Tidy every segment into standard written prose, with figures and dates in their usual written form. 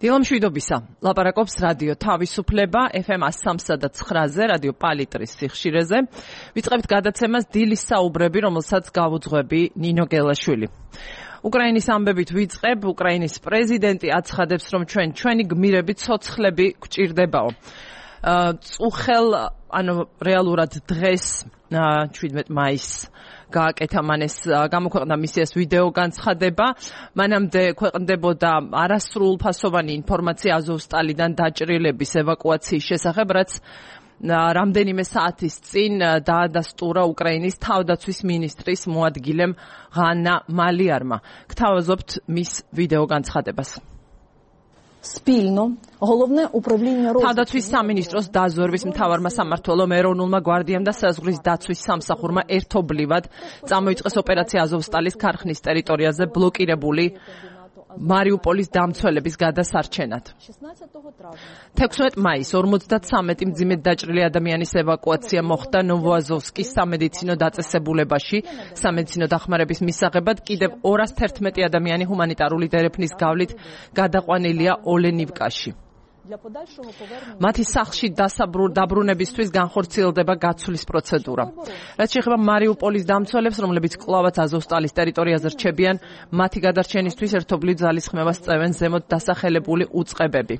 დილამშვიდობისა. ლაპარაკობს რადიო თავისუფლება FM 103.9-ზე, რადიო პალიტრის სიხშირეზე. ვიწყებთ გადაცემას დილის საუბრები, რომელსაც გავუძღვები ნინო გელაშვილი. უკრაინის ამბებით ვიწყებ. უკრაინის პრეზიდენტი აცხადებს, რომ ჩვენი გმირები ცოცხლები გვჭირდებაო. წუხელ, რეალურად დღეს 17 მაისს გააკეთა მან ეს გამოქვეყნდა მისი ეს ვიდეო განცხადება. მანამდე ქვეყნდებოდა არასრულფასოვანი ინფორმაცია აზოვსტალიდან დაჭრილების ევაკუაციის შესახებ, რაც რამდენიმე საათის წინ დაადასტურა უკრაინის თავდაცვის მინისტრის მოადგილემ ღანა მალიარმა. გთავაზობთ მის ვიდეო განცხადებას. თავდაცვის სამინისტროს დაზვერვის მთავარმა სამმართველომ, ეროვნულმა გვარდიამ და საზღვრის დაცვის სამსახურმა ერთობლივად წამოიწყეს ოპერაცია აზოვსტალის ქარხნის ტერიტორიაზე ბლოკირებული მარიუპოლის დამცველების გადასარჩენად. 16 მაისს 53 მძიმედ დაჭრილი ადამიანის ევაკუაცია მოხდა ნოვოაზოვსკის სამედიცინო დაწესებულებაში. სამედიცინო დახმარების მისაღებად კიდევ 211 ადამიანი ჰუმანიტარული დერეფნის გავლით გადაყვანილია ოლენივკაში. მათი სახლში დაბრუნებისთვის განხორციელდება გაცვლის პროცედურა. რაც შეეხება მარიუპოლის დამცველებს, რომლებიც კვლავაც აზოვსტალის ტერიტორიაზე რჩებიან, მათი გადარჩენისთვის ერთობლივ ძალისხმევას წევენ ზემოთ დასახელებული უწყებები.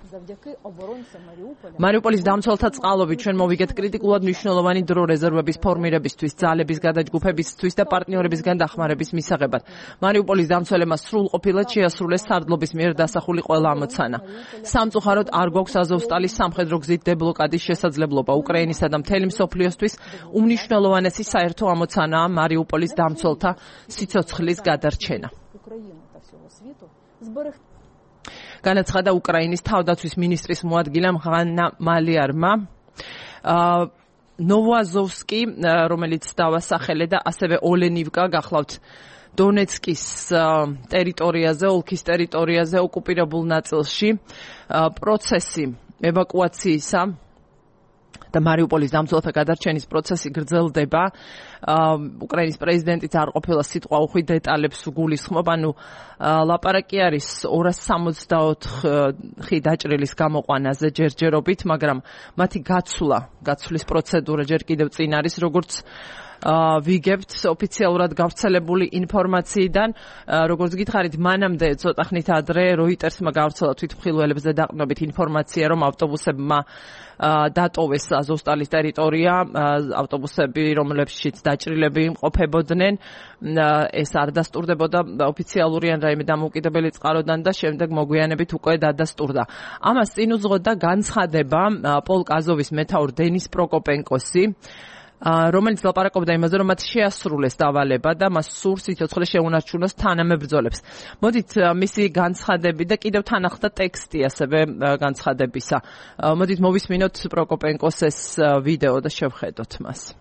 მარიუპოლის დამცველთა წყალობით ჩვენ მოვიგეთ კრიტიკულად მნიშვნელოვანი დრო რეზერვების ფორმირებისთვის, ძალების გადაჯგუფებისთვის და პარტნიორებისგან დახმარების მისაღებად. მარიუპოლის დამცველებმა სრულყოფილად შეასრულეს სარდლობის მიერ დასახული ყველა ამოცანა. სამწუხაროდ არ გვაქვს აზოვსტალის სამხედრო გზით დებლოკადის შესაძლებლობა. უკრაინისა და მთელი მსოფლიოსთვის უმნიშვნელოვანესი საერთო ამოცანაა მარიუპოლის დამცველთა სიცოცხლის გადარჩენა. განაცხადა უკრაინის თავდაცვის მინისტრის მოადგილემ ღანა მალიარმა. ნოვოაზოვსკი, რომელიც დავასახელე და ასევე ოლენივკა გახლავთ დონეცკის ტერიტორიაზე, ოლქის ტერიტორიაზე, ოკუპირებულ ნაწილში პროცესი ევაკუაციისა და მარიუპოლის დამცველთა გადარჩენის პროცესი გრძელდება. უკრაინის პრეზიდენტიც არ ყოფილა სიტყვა უხვი დეტალებს გულისხმობ, ლაპარაკი არის 264 დაჭრილის გამოყვანაზე ჯერჯერობით, მაგრამ მათი გაცვლის პროცედურა ჯერ კიდევ წინ არის, როგორც ვიგებთ ოფიციალურად გავრცელებული ინფორმაციიდან. როგორც გითხარით, მანამდე ცოტა ხნით ადრე როიტერსმა გავრცელა თვითმხილველებზე დაყრდნობით ინფორმაცია, რომ ავტობუსებმა დატოვეს აზოვსტალის ტერიტორია, ავტობუსები, რომლებშიც დაჭრილები იმყოფებოდნენ. ეს არ დასტურდებოდა ოფიციალური ან რაიმე დამოუკიდებელი წყაროდან და შემდეგ მოგვიანებით უკვე დადასტურდა. ამას წინ უძღოდა განცხადება პოლკ აზოვის მეთაურ დენის პროკოპენკოსი, რომელიც ლაპარაკობდა იმაზე, რომ მათ შეასრულეს დავალება და მას სურს სიცოცხლე შეუნარჩუნოს თანამებრძოლებს. მოდით მისი განცხადები და კიდევ თან ახლდა ტექსტი ასევე განცხადებისა. მოდით მოვისმინოთ პროკოპენკოს ეს ვიდეო და შევხედოთ მას.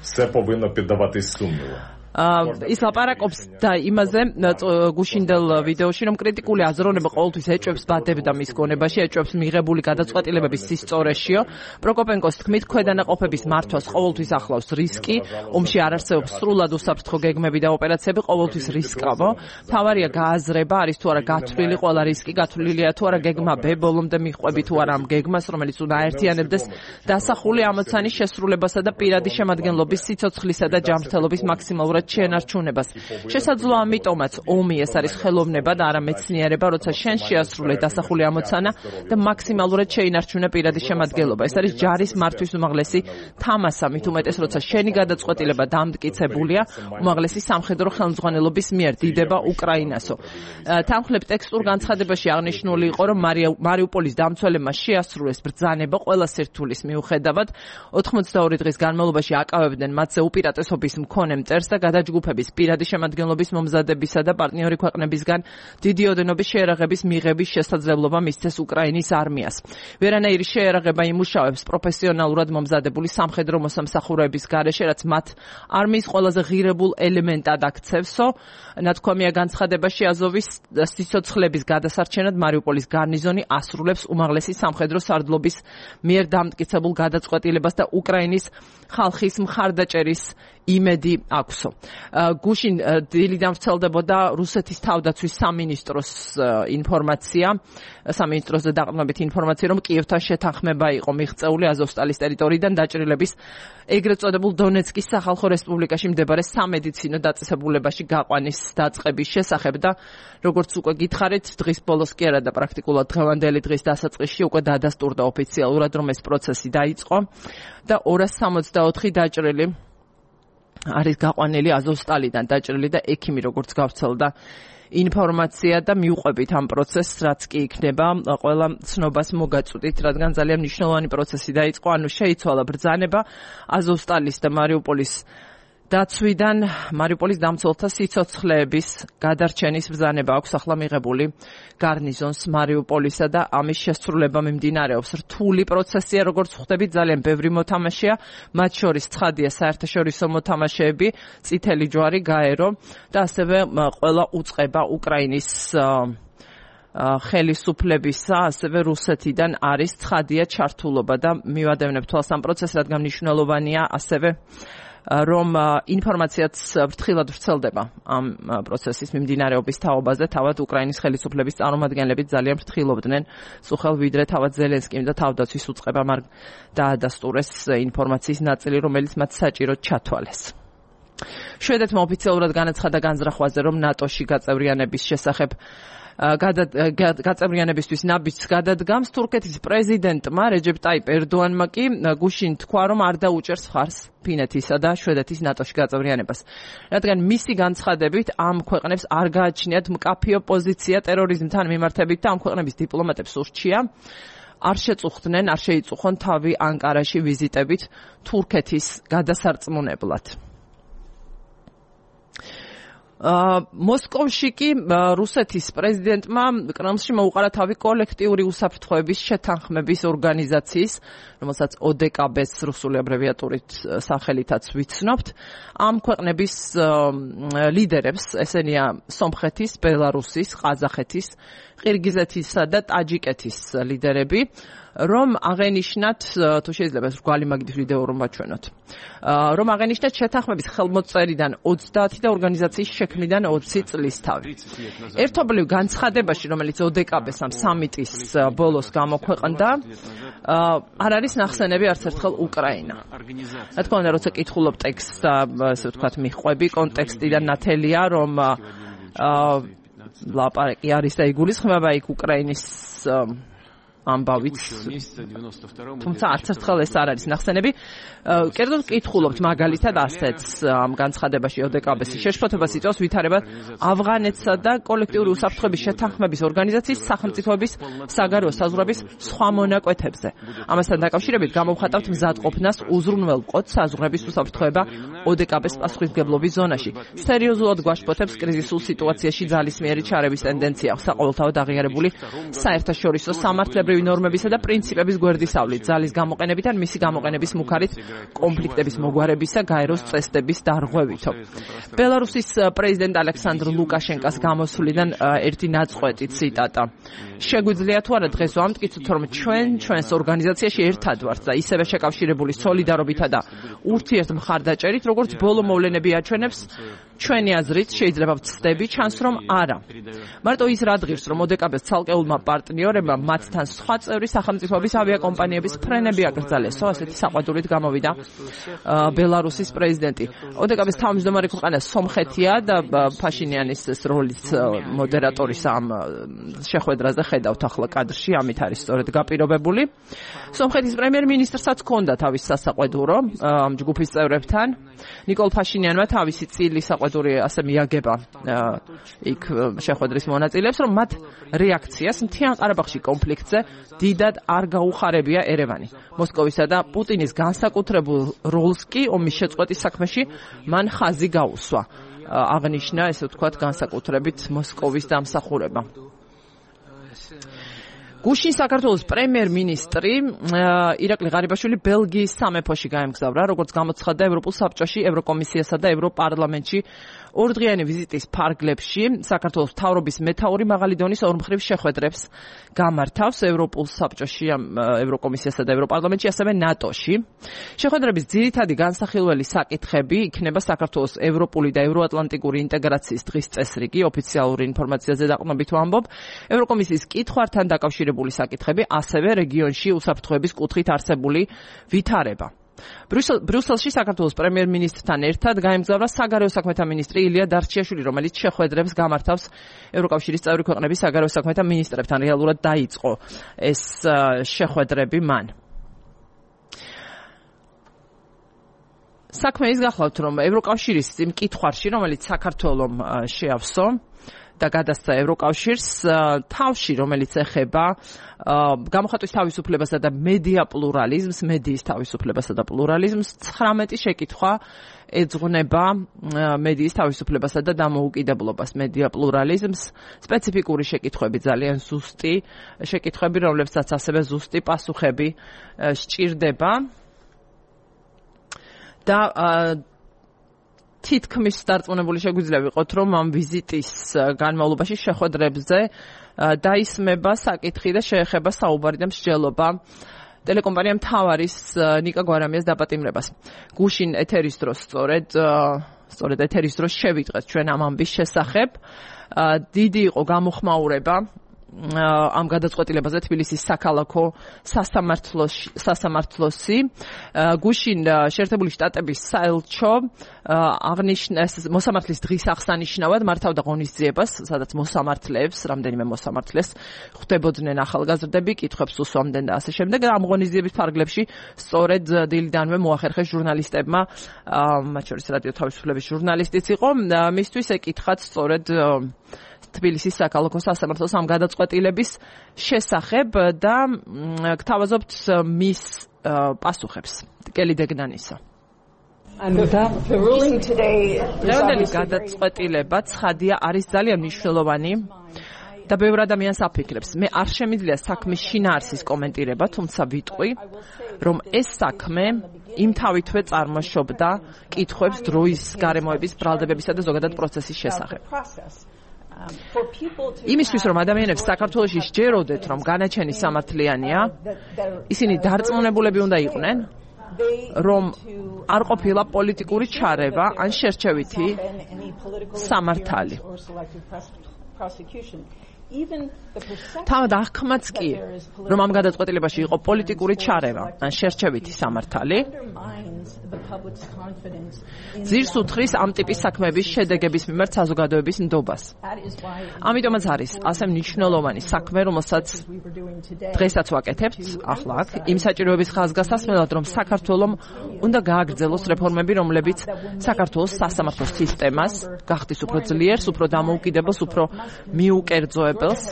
Все повинно піддаватись сумніву. ის ლაპარაკობს და იმაზე გუშინდელ ვიდეოში, რომ კრიტიკული აზროვნება ყოველთვის ეჭვებს ბადებდა მის გონებაში, ეჭვებს მიღებული გადაწყვეტილებების სისწორეშიო. პროკოპენკოს თქმით, ქვედანაყოფების მართვას ყოველთვის ახლავს რისკი, ომში არ არსებობს სრულად უსაფრთხო გეგმები და ოპერაციები, ყოველთვის რისკავო. მთავარია გააზრება, არის თუ არა გათვლილი ყველა რისკი, გათვლილია თუ არა გეგმა B, ბოლომდე მიჰყვები თუ არა ამ გეგმას, რომელიც უნდა აერთიანებდეს დასახული ამოცანის შესრულებასა და პირადი შემადგენლობის სიცოცხლისა და ჯანმრთელობის მაქსიმალურად შენარჩუნებას. შესაძლოა ამიტომაც ომი ეს არის ხელოვნება და არა მეცნიერება, როცა შენ შეასრულე დასახული ამოცანა და მაქსიმალურად შეინარჩუნე პირადი შემადგენლობა. ეს არის ჯარის მართვის უმაღლესი თამასა, მით უმეტეს, როცა შენი გადაწყვეტილება დამტკიცებულია უმაღლესი სამხედრო ხელმძღვანელობის მიერ. დიდება უკრაინასო. თანხლებ ტექსტურ განცხადებაში აღნიშნული იყო, რომ მარიუპოლის დამცველებმა შეასრულეს ბრძანება ყველა სირთულის მიუხედავად. 82 დღის განმავლობაში აკავებდნენ მათზე უპირატესობის მქონე მტერს და გადაჯგუფების პირადი შემადგენლობის მომზადებისა და პარტნიორი ქვეყნებისგან დიდი ოდენობის შეერაღების მიღების შესაძლებლობა მისცეს უკრაინის არმიას. ვერანაირი შეერაღება იმუშავებს პროფესიონალურად მომზადებული სამხედრო მოსამსახურეების გარეშე, რაც მათ არმიის ყველაზე ღირებულ ელემენტად აქცევსო. ნათქვამია განცხადებაში აზოვის სიცოცხლების გადასარჩენად მარიუპოლის გარნიზონი ასრულებს უმაღლესი სამხედრო სარდლობის მიერ დამტკიცებულ გადაწყვეტილებას და უკრაინის ხალხის მხარდაჭერის იმედი აქვსო. გუშინ დილიდან ვრცელდებოდა რუსეთის თავდაცვის სამინისტროს ინფორმაცია, სამინისტროზე დაყრდნობით ინფორმაცია, რომ კიევთან შეთანხმება იყო მიღწეული აზოვსტალის ტერიტორიიდან დაჭრილების ეგრეთ წოდებულ დონეცკის სახალხო რესპუბლიკაში მდებარე სამედიცინო დაწესებულებაში გაყვანის დაწყების შესახებ და როგორც უკვე გითხარით, დღის ბოლოს კი არა და პრაქტიკულად დღევანდელი დღის დასაწყისში უკვე დადასტურდა ოფიციალურად, რომ ეს პროცესი დაიწყო და 264 დაჭრილი არის გაყვანილი აზოვსტალიდან დაჭრილი და ექიმი როგორც გავრცელდა ინფორმაცია და მიუყვებით ამ პროცესს, რაც კი იქნება ყველა ცნობას მოგაწვდით, რადგან ძალიან მნიშვნელოვანი პროცესი დაიწყო, ანუ შეიცვალა ბრძანება აზოვსტალის და მარიუპოლის დაცვიდან, მარიუპოლის დამცველთა სიცოცხლეების გადარჩენის ბრძანება აქვს ახლა მიღებული გარნიზონს მარიუპოლისა და ამის შესრულება მიმდინარეობს. რთული პროცესია, როგორც ხვდებით, ძალიან ბევრი მოთამაშეა, მათ შორის ცხადია საერთაშორისო მოთამაშეები, წითელი ჯვარი, გაერო და ასევე ყველა უწყება უკრაინის ხელისუფლებისა, ასევე რუსეთიდან არის ცხადია ჩართულობა და მივადევნებ თვალს ამ პროცესს, რადგან მნიშვნელოვანია ასევე რომ ინფორმაციაც ფრთხილად ვრცელდება ამ პროცესის მიმდინარეობის თაობაზე, თავად უკრაინის ხელისუფლების წარმომადგენლები ძალიან ფრთხილობდნენ, სულ ვიდრე თავად ზელენსკიმ და თავდაცვის უწყებამ არ დაადასტურეს ინფორმაციის ნაწილი, რომელიც მათ საჭიროდ ჩათვალეს. შვედეთმა ოფიციალურად განაცხადა განზრახვაზე, რომ ნატოში გაწევრიანების შესახებ გაწევრიანებისთვის ნაბიჯს გადადგამს. თურქეთის პრეზიდენტმა რეჯეპ ტაიპ ერდოანმა კი გუშინ თქვა, რომ არ დაუჭერს მხარს ფინეთისა და შვედეთის ნატოში გაწევრიანებას. რადგან მისი განცხადებით ამ ქვეყნებს არ გააჩნიათ მკაფიო პოზიცია ტერორიზმთან მიმართებით და ამ ქვეყნების დიპლომატებს ურჩია არ შეწუხდნენ, არ შეიწუხონ თავი ანკარაში ვიზიტებით თურქეთის გადასარწმუნებლად. მოსკოვში კი რუსეთის პრეზიდენტმა კრემლში მოუყარა თავი კოლექტიური უსაფრთხოების შეთანხმების ორგანიზაციის, რომელსაც ODKB-ს რუსული აბრევიატურით სახელითაც ვიცნობთ, ამ ქვეყნების ლიდერებს, ესენია სომხეთის, ბელარუსის, ყაზახეთის, ყირგიზეთისა და ტაჯიკეთის ლიდერები, რომ აღენიშნათ, თუ შეიძლება ეს რგვალი მაგის ვიდეო რომ ვაჩვენოთ, რომ აღენიშნათ შეთანხმების ხელმოწერიდან 30 და ორგანიზაციის შექმნიდან 20 წლისთავი. ერთობლივ განცხადებაში, რომელიც ODKB-ს ამ სამიტის ბოლოს გამოქვეყნდა, არ არის ნახსენები არც ერთხელ უკრაინა. რა თქმა უნდა, როცა კითხულობ ტექსტს და ასე ვთქვათ, მიხვები კონტექსტიდან ნათელია, რომ ლაპარაკი არის და იგულისხმება იქ უკრაინის ამბავით, თუმცა არც ერთხელ ეს არ არის ნახსენები. კერძოდ კითხულობთ მაგალითად ასეთს ამ განცხადებაში ODKB-ს შეშფოთებას იწვევს ვითარება ავღანეთსა და კოლექტიური უსაფრთხოების შეთანხმების ორგანიზაციის სახელმწიფოების საგარეო საზღვრების სხვა მონაკვეთებზე. ამასთან დაკავშირებით გამოვხატავთ მზადყოფნას უზრუნველ მყოთ საზღვრების უსაფრთხოება ODKB-ს პასუხისმგებლობის ზონაში. სერიოზულად გვაშფოთებს კრიზისულ სიტუაციაში ძალისმიერი ჩარევის ტენდენცია, საყოველთაოდ აღიარებული საერთაშორისო სამართლებრივი ნორმებისა და პრინციპების გვერდისავლით, ძალის გამოყენებით ან მისი გამოყენების მუქარით კონფლიქტების მოგვარებისა, გაეროს წესდების დარღვევითო. ბელარუსის პრეზიდენტ ალექსანდრ ლუკაშენკას გამოსვლიდან ერთი ნაწყვეტი ციტატა. შეგვიძლია თუ არა დღეს ვამტკიცოთ, რომ ჩვენს ორგანიზაციაში ერთად ვართ და ისევე შეკავშირებული სოლიდარობითა და ურთიერთ მხარდაჭერით, როგორც ბოლო მოვლენები აჩვენებს, ჩვენი აზრით შეიძლება ვცდები, ჩანს რომ არა. მარტო ის რა დღის, რომ ODKB-ს ცალკეულმა პარტნიორებმა მათთან სხვა წევრი სახელმწიფოების ავიაკომპანიების ფრენები აკრძალესო, ასეთი საყვედურით გამოვიდა ბელარუსის პრეზიდენტი. ODKB-ს თავმჯდომარე ქვეყანა სომხეთია და ფაშინიანის როლის მოდერატორის ამ შეხვედრაზე ხედავთ ახლა კადრში, ამით არის სწორედ გაპირობებული. სომხეთის პრემიერ-მინისტრსაც ჰქონდა თავის სასაყვედურო ამ ჯგუფის წევრებთან. ნიკოლ ფაშინიანმა თავისი წილი საყვედური ასე მიაგება იქ შეხვედრის მონაწილეებს, რომ მათ რეაქციას მთიან ყარაბაღში კონფლიქტზე დიდად არ გაუხარებია ერევანი. მოსკოვისა და პუტინის განსაკუთრებულ როლს კი ომის შეწყვეტის საქმეში მან ხაზი გაუსვა. აღნიშნა, ესე ვთქვათ, განსაკუთრებით მოსკოვის დამსახურება. გუშინ საქართველოს პრემიერ-მინისტრი ირაკლი ღარიბაშვილი ბელგიის სამეფოში გაემგზავრა, როგორც გამოცხადდა ევროპულ საბჭოში, ევროკომისიასა და ევროპარლამენტში ორდღიანი ვიზიტის ფარგლებში საქართველოს მთავრობის მეთაური მაღალი დონის ორმხრივ შეხვედრებს გამართავს ევროპულ საბჭოში, ევროკომისიასა და ევროპარლამენტში, ასევე ნატოში. შეხვედრების ძირითადი განსახილველი საკითხები იქნება საქართველოს ევროპული და ევროატლანტიკური ინტეგრაციის დღის წესრიგი, ოფიციალური ინფორმაციაზე დაყრდნობით ვამბობ, ევროკომისიის კითხვართან დაკავშირებული საკითხები, ასევე რეგიონში უსაფრთხოების კუთხით არსებული ვითარება. ბრიუსელში საქართველოს პრემიერ-მინისტრთან ერთად გაემგზავრა საგარეო საქმეთა მინისტრი ილია დარჩიაშვილი, რომელიც შეხვედრებს გამართავს ევროკავშირის წევრი ქვეყნების საგარეო საქმეთა მინისტრებთან. რეალურად დაიწყო ეს შეხვედრები მან. საქმე ის გახლავთ, რომ ევროკავშირის იმ კითხვარში, რომელიც საქართველომ შეავსო და გადასცა ევროკავშირს, თავში, რომელიც ეხება გამოხატვის თავისუფლებასა და მედია პლურალიზმს, მედიის თავისუფლებასა და პლურალიზმს, 19 შეკითხვა ეძღვნება მედიის თავისუფლებასა და დამოუკიდებლობას, მედია პლურალიზმს, სპეციფიკური შეკითხვები, ძალიან ზუსტი შეკითხვები, რომლებსაც ასევე ზუსტი პასუხები სჭირდება და თითქმის დარწმუნებული შეგვიძლია ვიყოთ, რომ ამ ვიზიტის განმავლობაში შეხვედრებზე დაისმება საკითხი და შეეხება საუბარი და მსჯელობა ტელეკომპანია მთავარის ნიკა გვარამიას დაპატიმრებას. გუშინ ეთერის დროს სწორედ ეთერის დროს შევიტყვეთ ჩვენ ამ ამბის შესახებ. დიდი იყო გამოხმაურება ამ გადაწყვეტილებაზე თბილისის საქალაქო სასამართლოსი. გუშინ შეერთებული შტატების საელჩო აღნიშნეს მოსამართლის დღის აღსანიშნავად მართავდა ღონისძიებას, სადაც მოსამართლეებს, რამდენიმე მოსამართლეს ხვდებოდნენ ახალგაზრდები, კითხვებს უსვამდნენ და ასე შემდეგ. ამ ღონისძიების ფარგლებში სწორედ დილიდანვე მოახერხეს ჟურნალისტებმა, მათ შორის რადიო თავისუფლების ჟურნალისტიც იყო, მისთვის ეკითხათ სწორედ თბილისის საქალაქო სასამართლოს ამ გადაწყვეტილების შესახებ და გთავაზობთ მის პასუხებს. კელი დეგნანისა. დღევანდელი გადაწყვეტილება ცხადია არის ძალიან მნიშვნელოვანი და ბევრ ადამიანს აფიქრებს. მე არ შემიძლია საქმის შინაარსის კომენტირება, თუმცა ვიტყვი, რომ ეს საქმე იმთავითვე წარმოშობდა კითხვებს დროის გარემოების, ბრალდებებისა და ზოგადად პროცესის შესახებ. იმისთვის, რომ ადამიანებს საქართველოში სჯეროდეთ, რომ განაჩენი სამართლიანია, ისინი დარწმუნებულები უნდა იყვნენ, რომ არ ყოფილა პოლიტიკური ჩარევა ან შერჩევითი სამართალი. თავად აღქმაც კი, რომ ამ გადაწყვეტილებაში იყო პოლიტიკური ჩარევა ან შერჩევითი სამართალი, ძირს უთხრის ამ ტიპის საქმეების შედეგების მიმართ საზოგადოების ნდობას. ამიტომაც არის ასე მნიშვნელოვანი საქმე, რომელსაც დღესაც ვაკეთებთ, ახლა აქ, იმ საჭიროების ხაზგასასმელად, რომ საქართველომ უნდა გააგრძელოს რეფორმები, რომლებიც საქართველოს სასამართლო სისტემას გახდის უფრო ძლიერს, უფრო დამოუკიდებელს, უფრო მიუკერძოებელს.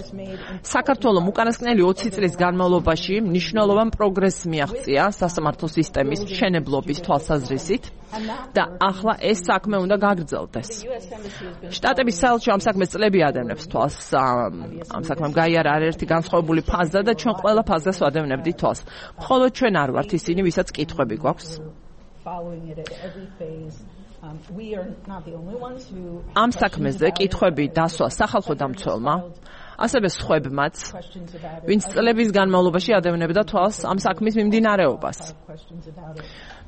საქართველომ უკანასკნელი 20 წლის განმავლობაში მნიშვნელოვან პროგრესს მიაღწია სასამართლო სისტემის მშენებლობის თვალსაზრისით და ახლა ეს საქმე უნდა გაგრძელდეს. შტატების საელჩო ამ საქმეს წლები ადევნებს თვალს, ამ საქმემ გაიარა არაერთი განსხვავებული ფაზა და ჩვენ ყველა ფაზას ვადევნებდით თვალს. მხოლოდ ჩვენ არ ვართ ისინი, ვისაც კითხვები გვაქვს. ამ საქმეზე კითხვები დასვა სახალხო დამცველმა, ასევე სხვებმაც, ვინც წლების განმავლობაში ადევნებდა თვალს ამ საქმის მიმდინარეობას.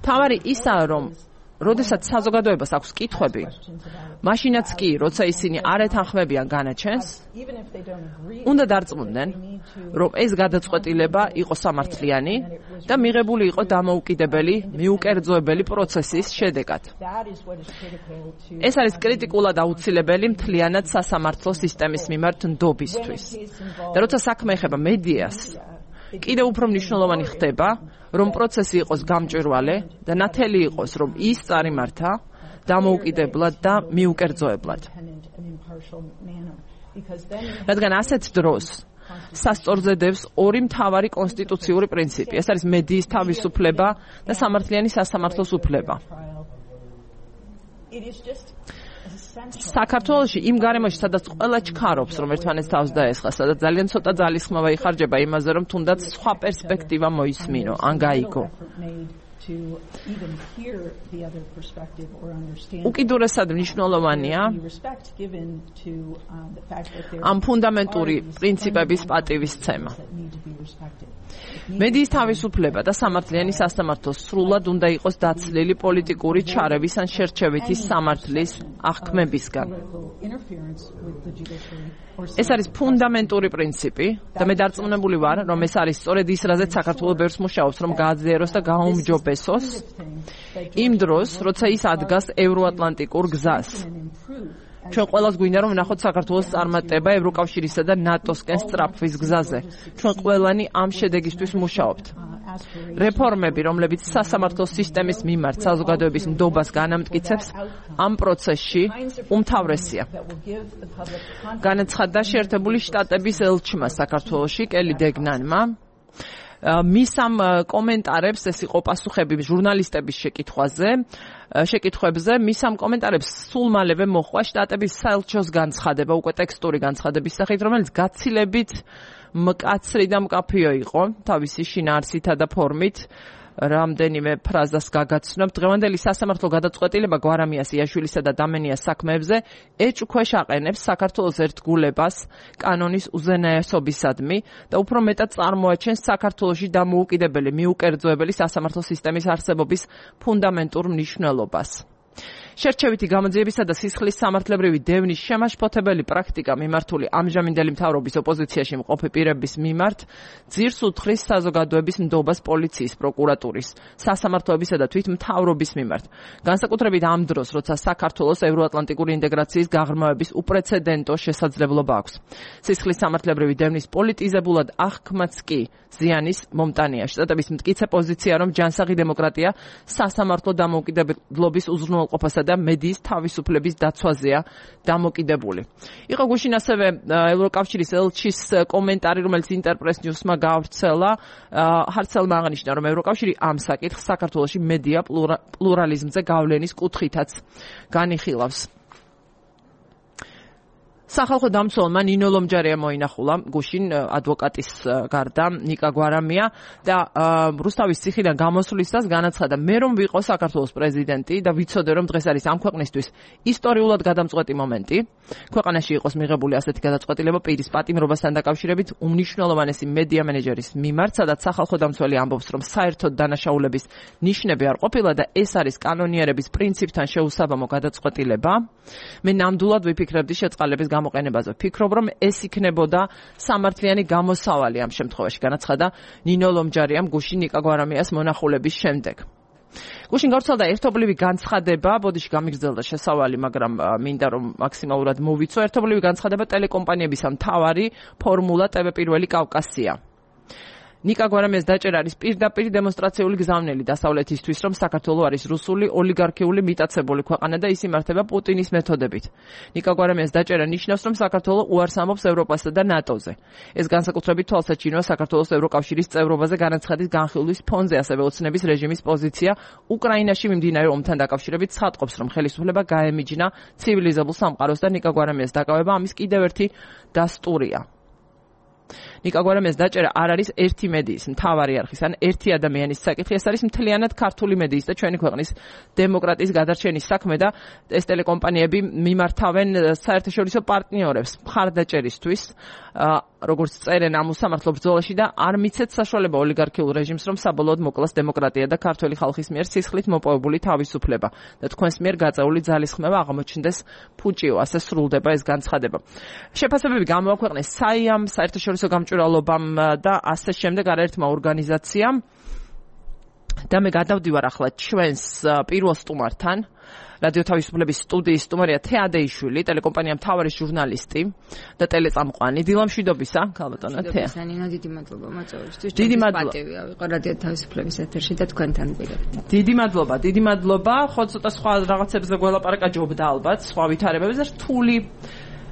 თავარი ისაა, რომ როდესაც საზოგადოებას აქვს კითხვები, მაშინაც კი, როცა ისინი არ ეთანხმებიან განაჩენს, უნდა დარწმუნდნენ, რომ ეს გადაწყვეტილება იყო სამართლიანი და მიღებული იყო დამოუკიდებელი, მიუკერძოებელი პროცესის შედეგად. ეს არის კრიტიკულად აუცილებელი მთლიანად სასამართლო სისტემის მიმართ ნდობისთვის. და როცა საქმე ეხება მედიას, კიდევ უფრო მნიშვნელოვანი ხდება, რომ პროცესი იყოს გამჭვირვალე და ნათელი იყოს, რომ ის წარიმართა დამოუკიდებლად და მიუკერძოებლად. რადგან ასეთ დროს სასწორზე დევს ორი მთავარი კონსტიტუციური პრინციპი. ეს არის მედიის თავისუფლება და სამართლიანი სასამართლოს უფლება. საქართველოში იმ გარემოში, სადაც ყველა ჩქარობს, რომ ერთმანეთს თავს დაესხა, სადაც ძალიან ცოტა ძალისხმევა იხარჯება იმაზე, რომ თუნდაც სხვა პერსპექტივა მოისმინო, ან გაიგო. უკიდურესად მნიშვნელოვანია ამ ფუნდამენტური პრინციპების პატივისცემა. მედიის თავისუფლება და სამართლიანი სასამართლო სრულად უნდა იყოს დაცლილი პოლიტიკური ჩარევის ან შერჩევითი სამართლის აღქმებისგან. ეს არის ფუნდამენტური პრინციპი და მე დარწმუნებული ვარ, რომ ეს არის სწორედ ის, რაზეც საქართველოს ბევრს მუშაობს, რომ გააძლიეროს და გააუმჯობესოს იმ დროს, როცა ის ადგას ევროატლანტიკურ გზას. ჩვენ ყველას გვინდა რომ ვნახოთ საქართველოს წარმატება ევროკავშირისა და ნატოსკენ სწრაფვის გზაზე. ჩვენ ყველანი ამ შედეგისთვის მუშაობთ. რეფორმები, რომლებიც სასამართლო სისტემის მიმართ საზოგადოების ნდობას განამტკიცებს, ამ პროცესში უმთავრესია. განაცხადა შეერთებული შტატების ელჩმა საქართველოში კელი დეგნანმა. მის ამ კომენტარებს, ეს იყო პასუხები ჟურნალისტების შეკითხვებზე, მის ამ კომენტარებს სულ მალევე მოჰყვა შტატების საელჩოს განცხადება, უკვე ტექსტური განცხადების სახით, რომელიც გაცილებით მკაცრი და მკაფიო იყო, თავისი შინაარსითა და ფორმით. რამდენიმე ფრაზას გაგაცნობ. დღევანდელი სასამართლო გადაწყვეტილება გვარამიას იაშვილისა და დამენიას საქმეებზე ეჭვქვეშ აყენებს საქართველოს ერთგულებას კანონის უზენაესობისადმი და უფრო მეტად წარმოაჩენს საქართველოში დამოუკიდებელი მიუკერძოებელი სასამართლო სისტემის არსებობის ფუნდამენტურ მნიშვნელობას. შერჩევითი გამოძიებისა და სისხლის სამართლებრივი დევნის შემაშფოთებელი პრაქტიკა მიმართული ამჟამინდელი მთავრობის ოპოზიციაში მყოფი პირების მიმართ ძირს უთხრის საზოგადოების ნდობას პოლიციის, პროკურატურის, სასამართლოებისა და თვითმთავრობის მიმართ. განსაკუთრებით ამ დროს, როცა საქართველოს ევროატლანტიკური ინტეგრაციის გაღრმავების უპრეცედენტო შესაძლებლობა აქვს. სისხლის სამართლებრივი დევნის პოლიტიზებულად აღქმაც კი ზიანის მომტანია. შტატების მტკიცე პოზიცია, რომ ჯანსაღი დემოკრატია სასამართლო დამოუკიდებლობის უზრუნველყოფასა და მედიის თავისუფლების დაცვაზეა დამოკიდებული. იყო გუშინ ასევე ევროკავშირის ელჩის კომენტარი, რომელიც ინტერპრეს ნიუსმა გავრცელა. ჰარცელმა აღნიშნა, რომ ევროკავშირი ამ საკითხს საქართველოში მედია პლურალიზმზე გავლენის კუთხითაც განიხილავს. სახალხო დამცველმა ნინო ლომჯარია მოინახულა გუშინ ადვოკატის გარდა ნიკა გვარამია და რუსთავის ციხიდან გამოსვლისას განაცხადა, მე რომ ვიყო საქართველოს პრეზიდენტი და ვიცოდე რომ დღეს არის ამ ქვეყნისთვის ისტორიულად გადამწყვეტი მომენტი, ქვეყანაში იყოს მიღებული ასეთი გადაწყვეტილება პირის პატიმრობასთან დაკავშირებით უმნიშვნელოვანესი მედია მენეჯერის მიმართ, სადაც სახალხო დამცველი ამბობს, რომ საერთოდ დანაშაულების ნიშნები არ ყოფილა და ეს არის კანონიერების პრინციპთან შეუსაბამო გადაწყვეტილება. მე ნამდვილად ვიფიქრებდი შეწყალების გამოყენებაზე. ვფიქრობ, რომ ეს იქნებოდა სამართლიანი გამოსავალი ამ შემთხვევაში, განაცხადა ნინო ლომჯარიამ გუშინ ნიკა გვარამიას მონახულების შემდეგ. გუშინ გავრცელდა ერთობლივი განცხადება, ბოდიში გამიგრძელდა შესავალი, მაგრამ მინდა რომ მაქსიმალურად მოვიცო. ერთობლივი განცხადება ტელეკომპანიებისა მთავარი ფორმულა TV პირველი კავკასია. ნიკა გვარამიას დაჭერა არის პირდაპირ დემონსტრაციული გზავნილი დასავლეთისთვის, რომ საქართველო არის რუსული ოლიგარქიული მიტაცებული ქვეყანა და ის იმართება პუტინის მეთოდებით. ნიკა გვარამიას დაჭერა ნიშნავს, რომ საქართველო უარს ამბობს ევროპასა და ნატოზე. ეს განსაკუთრებით თვალსაჩინოა საქართველოს ევროკავშირის წევრობაზე განაცხადის განხილვის ფონზე, ასევე ოცნების რეჟიმის პოზიცია უკრაინაში მიმდინარე ომთან დაკავშირებით ცხადყოფს, რომ ხელისუფლება გაემიჯნა ცივილიზებულ სამყაროს და ნიკა გვარამიას დაკავება ამის კიდევ ერთი დასტურია. ნიკა გვარამიას დაჭერა არ არის ერთი მედიის მთავარი არხის ან ერთი ადამიანის საკითხი, ეს არის მთლიანად ქართული მედიის და ჩვენი ქვეყნის დემოკრატიის გადარჩენის საქმე და ეს ტელეკომპანიები მიმართავენ საერთაშორისო პარტნიორებს მხარდაჭერისთვის, როგორც წერენ ამ უსამართლო ბრძოლაში და არ მიცეთ საშუალება ოლიგარქიულ რეჟიმს, რომ საბოლოოდ მოკლას დემოკრატია და ქართული ხალხის მიერ სისხლით მოპოვებული თავისუფლება და თქვენს მიერ გაწეული ძალისხმევა აღმოჩნდეს ფუჭიო, ასე სრულდება ეს განცხადება. შეფასებები გამოაქვეყნეს საიამ, საერთაშორისო გამჭვირვალობამ და ასე შემდეგ არაერთმა ორგანიზაციამ და მე გადავდივარ ახლა ჩვენს პირველ სტუმართან. რადიო თავისუფლების სტუდიის სტუმარია თეადეიშვილი, ტელეკომპანია მთავარი ჟურნალისტი და ტელეწამყვანი. დილამშვიდობისა, ქალბატონო თეა. ნინო, დიდი მადლობა მოწვევისთვის. დიდი მადლობა. პატივია ვიყო რადიო თავისუფლების ეთერში და თქვენთან ვიყავ. დიდი მადლობა. ხო ცოტა სხვა რაღაცებზე გველაპარაკა ჯობდა ალბათ, სხვა ვითარებებზე და რთული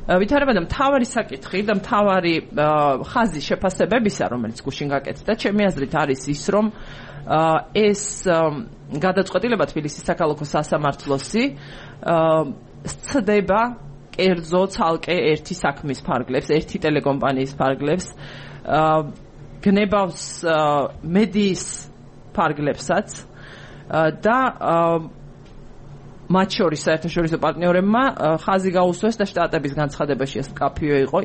ვითარება და მთავარი საკითხი და მთავარი ხაზი შეფასებებისა, რომელიც გუშინ გაკეთდა, ჩემი აზრით არის ის, რომ ეს გადაწყვეტილება თბილისის საქალაქო სასამართლოსი სცდება კერძო ცალკე ერთი საქმის ფარგლებს, ერთი ტელეკომპანიის ფარგლებს, გნებავს მედიის ფარგლებსაც და მათ შორის საერთაშორისო პარტნიორებმა ხაზი გაუსვეს და შტატების განცხადებაში ეს მკაფიო იყო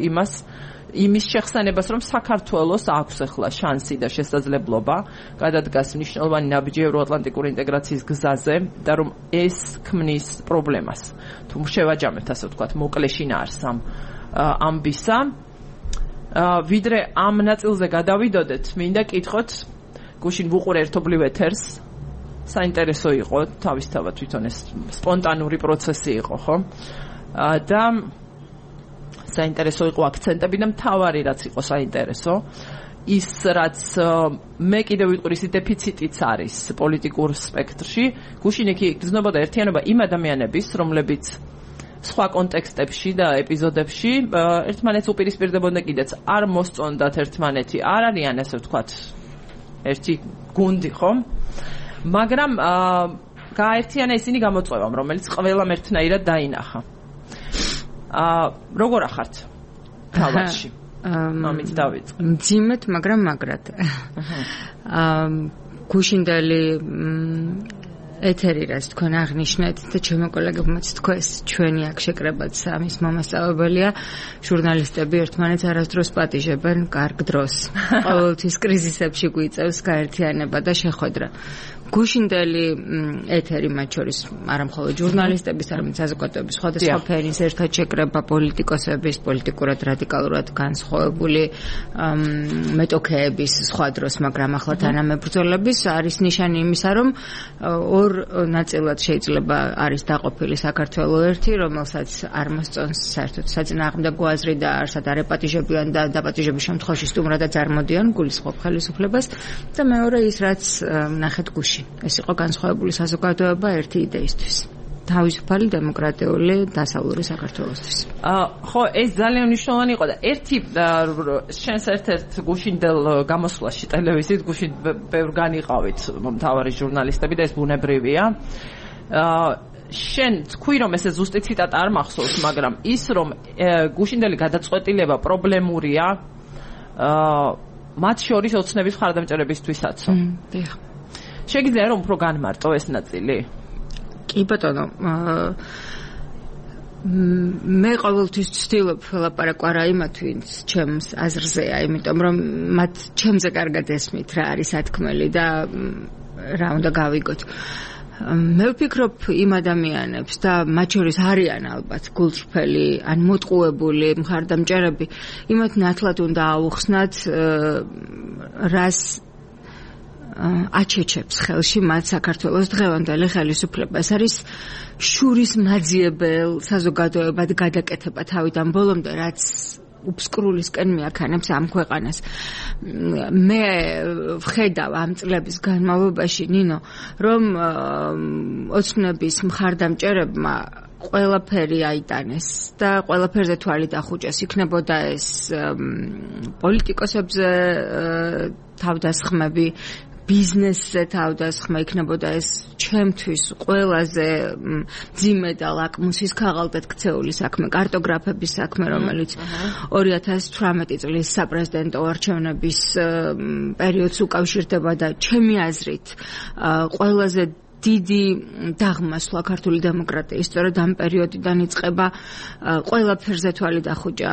იმის შეხსენებას, რომ საქართველოს აქვს ახლა შანსი და შესაძლებლობა გადადგას მნიშვნელოვანი ნაბიჯი ევროატლანტიკური ინტეგრაციის გზაზე და რომ ეს ქმნის პრობლემას. თუ შევაჯამებთ, ასე ვთქვათ, მოკლეში ნაარს ამბისა, ვიდრე ამ ნაწილზე გადავიდოდეთ, მინდა კითხოთ, გუშინ ვუყურ ერთობლივ ეთერს, საინტერესო იყო, თავისთავად თვითონ ეს სპონტანური პროცესი იყო, ხო? და საინტერესო იყო აქცენტები და მთავარი რაც იყო საინტერესო ის რაც მე კიდევ ვიტყვი ის დეფიციტიც არის პოლიტიკურ სპექტრში გუშინ იქ გრძნობოდა ერთიანობა იმ ადამიანების რომლებიც სხვა კონტექსტებში და ეპიზოდებში ერთმანეთს უპირისპირდებოდნენ კიდეც არ მოსწონდათ ერთმანეთი არ არიან ასე ვთქვათ ერთი გუნდი ხო მაგრამ გააერთიანა ისინი გამოწვევამ რომელიც ყველამ ერთნაირად დაინახა როგორ ახართ თავში მამით დავიწყე მძიმედ მაგრამ მაგრად გუშინდელი ეთერი რაც თქვენ აღნიშნეთ და ჩემო კოლეგებმაც თქვეს ჩვენი აქ შეკრებაც ამის მომასწავლებელია ჟურნალისტები ერთმანეთს არასდროს პატიჟებენ კარგ დროს ყოველთვის კრიზისებში გვიწევს გაერთიანება და შეხვედრა გუშინდელი ეთერი მათ შორის არა მხოლოდ ჟურნალისტების, არამედ საზოგადოების სხვადასხვა ფენის ერთად შეკრება პოლიტიკოსების, პოლიტიკურად რადიკალურად განსხვავებული მეტოქეების სხვა დროს, მაგრამ ახლა თანამებრძოლების არის ნიშანი იმისა, რომ ორ ნაწილად შეიძლება არის დაყოფილი საქართველოს ერთი, რომელსაც არ მოსწონს საერთოდ საწინააღმდეგო აზრი და არსად არ ეპატიჟებიან და დაპატიჟების შემთხვევაში სტუმრადაც არ მოდიან გულისხმობ ხელისუფლებას და მეორე ის რაც ნახეთ გუშინ ეს იყო განსხვავებული საზოგადოება ერთი იდეისთვის. თავისუფალი დემოკრატიული დასავლური საქართველოსთვის. ხო, ეს ძალიან მნიშვნელოვანი იყო და ერთი შენს ერთ-ერთ გუშინდელ გამოსვლაში ტელევიზიით გუშინ ბევრ განიყავით მთავარი ჟურნალისტები და ეს ბუნებრივია. შენ თქვი რომ ესე ზუსტი ციტატა არ მახსოვს, მაგრამ ის რომ გუშინდელი გადაწყვეტილება პრობლემურია მათ შორის ოცნების მხარდამჭერებისთვისაც. დიახ. შეგიძლია რომ უფრო განმარტო ეს ნაწილი? კი ბატონო, მე ყოველთვის ვცდილობ ლაპარაკ არა იმათ ვინც ჩემს აზრზეა, იმიტომ რომ მათ ჩემზე კარგად ესმით რა არის სათქმელი და რა უნდა გავიგოთ. მე ვფიქრობ იმ ადამიანებს და მათ შორის არიან ალბათ გულწრფელი ან მოტყუებული მხარდამჭერები, იმათ ნათლად უნდა აუხსნათ რას აჩეჩებს ხელში მათ საქართველოს დღევანდელი ხელისუფლება. ეს არის შურის მაძიებელ საზოგადოებად გადაკეთება თავიდან ბოლომდე, რაც უბსკრულისკენ მიაქანებს ამ ქვეყანას. მე ვხედავ ამ წლების განმავლობაში, ნინო, რომ ოცნების მხარდამჭერებმა ყველაფერი აიტანეს და ყველაფერზე თვალი დახუჭეს. იქნებოდა ეს პოლიტიკოსებზე თავდასხმები, ბიზნესზე თავდასხმა, იქნებოდა ეს ჩემთვის ყველაზე მძიმე და ლაკმუსის ქაღალდად ქცეული საქმე, კარტოგრაფების საქმე, რომელიც 2018 წლის საპრეზიდენტო არჩევნების პერიოდს უკავშირდება და ჩემი აზრით ყველაზე დიდი დაღმასვლა ქართული დემოკრატიის სწორედ ამ პერიოდიდან იწყება ყველაფერზე თვალი დახუჭა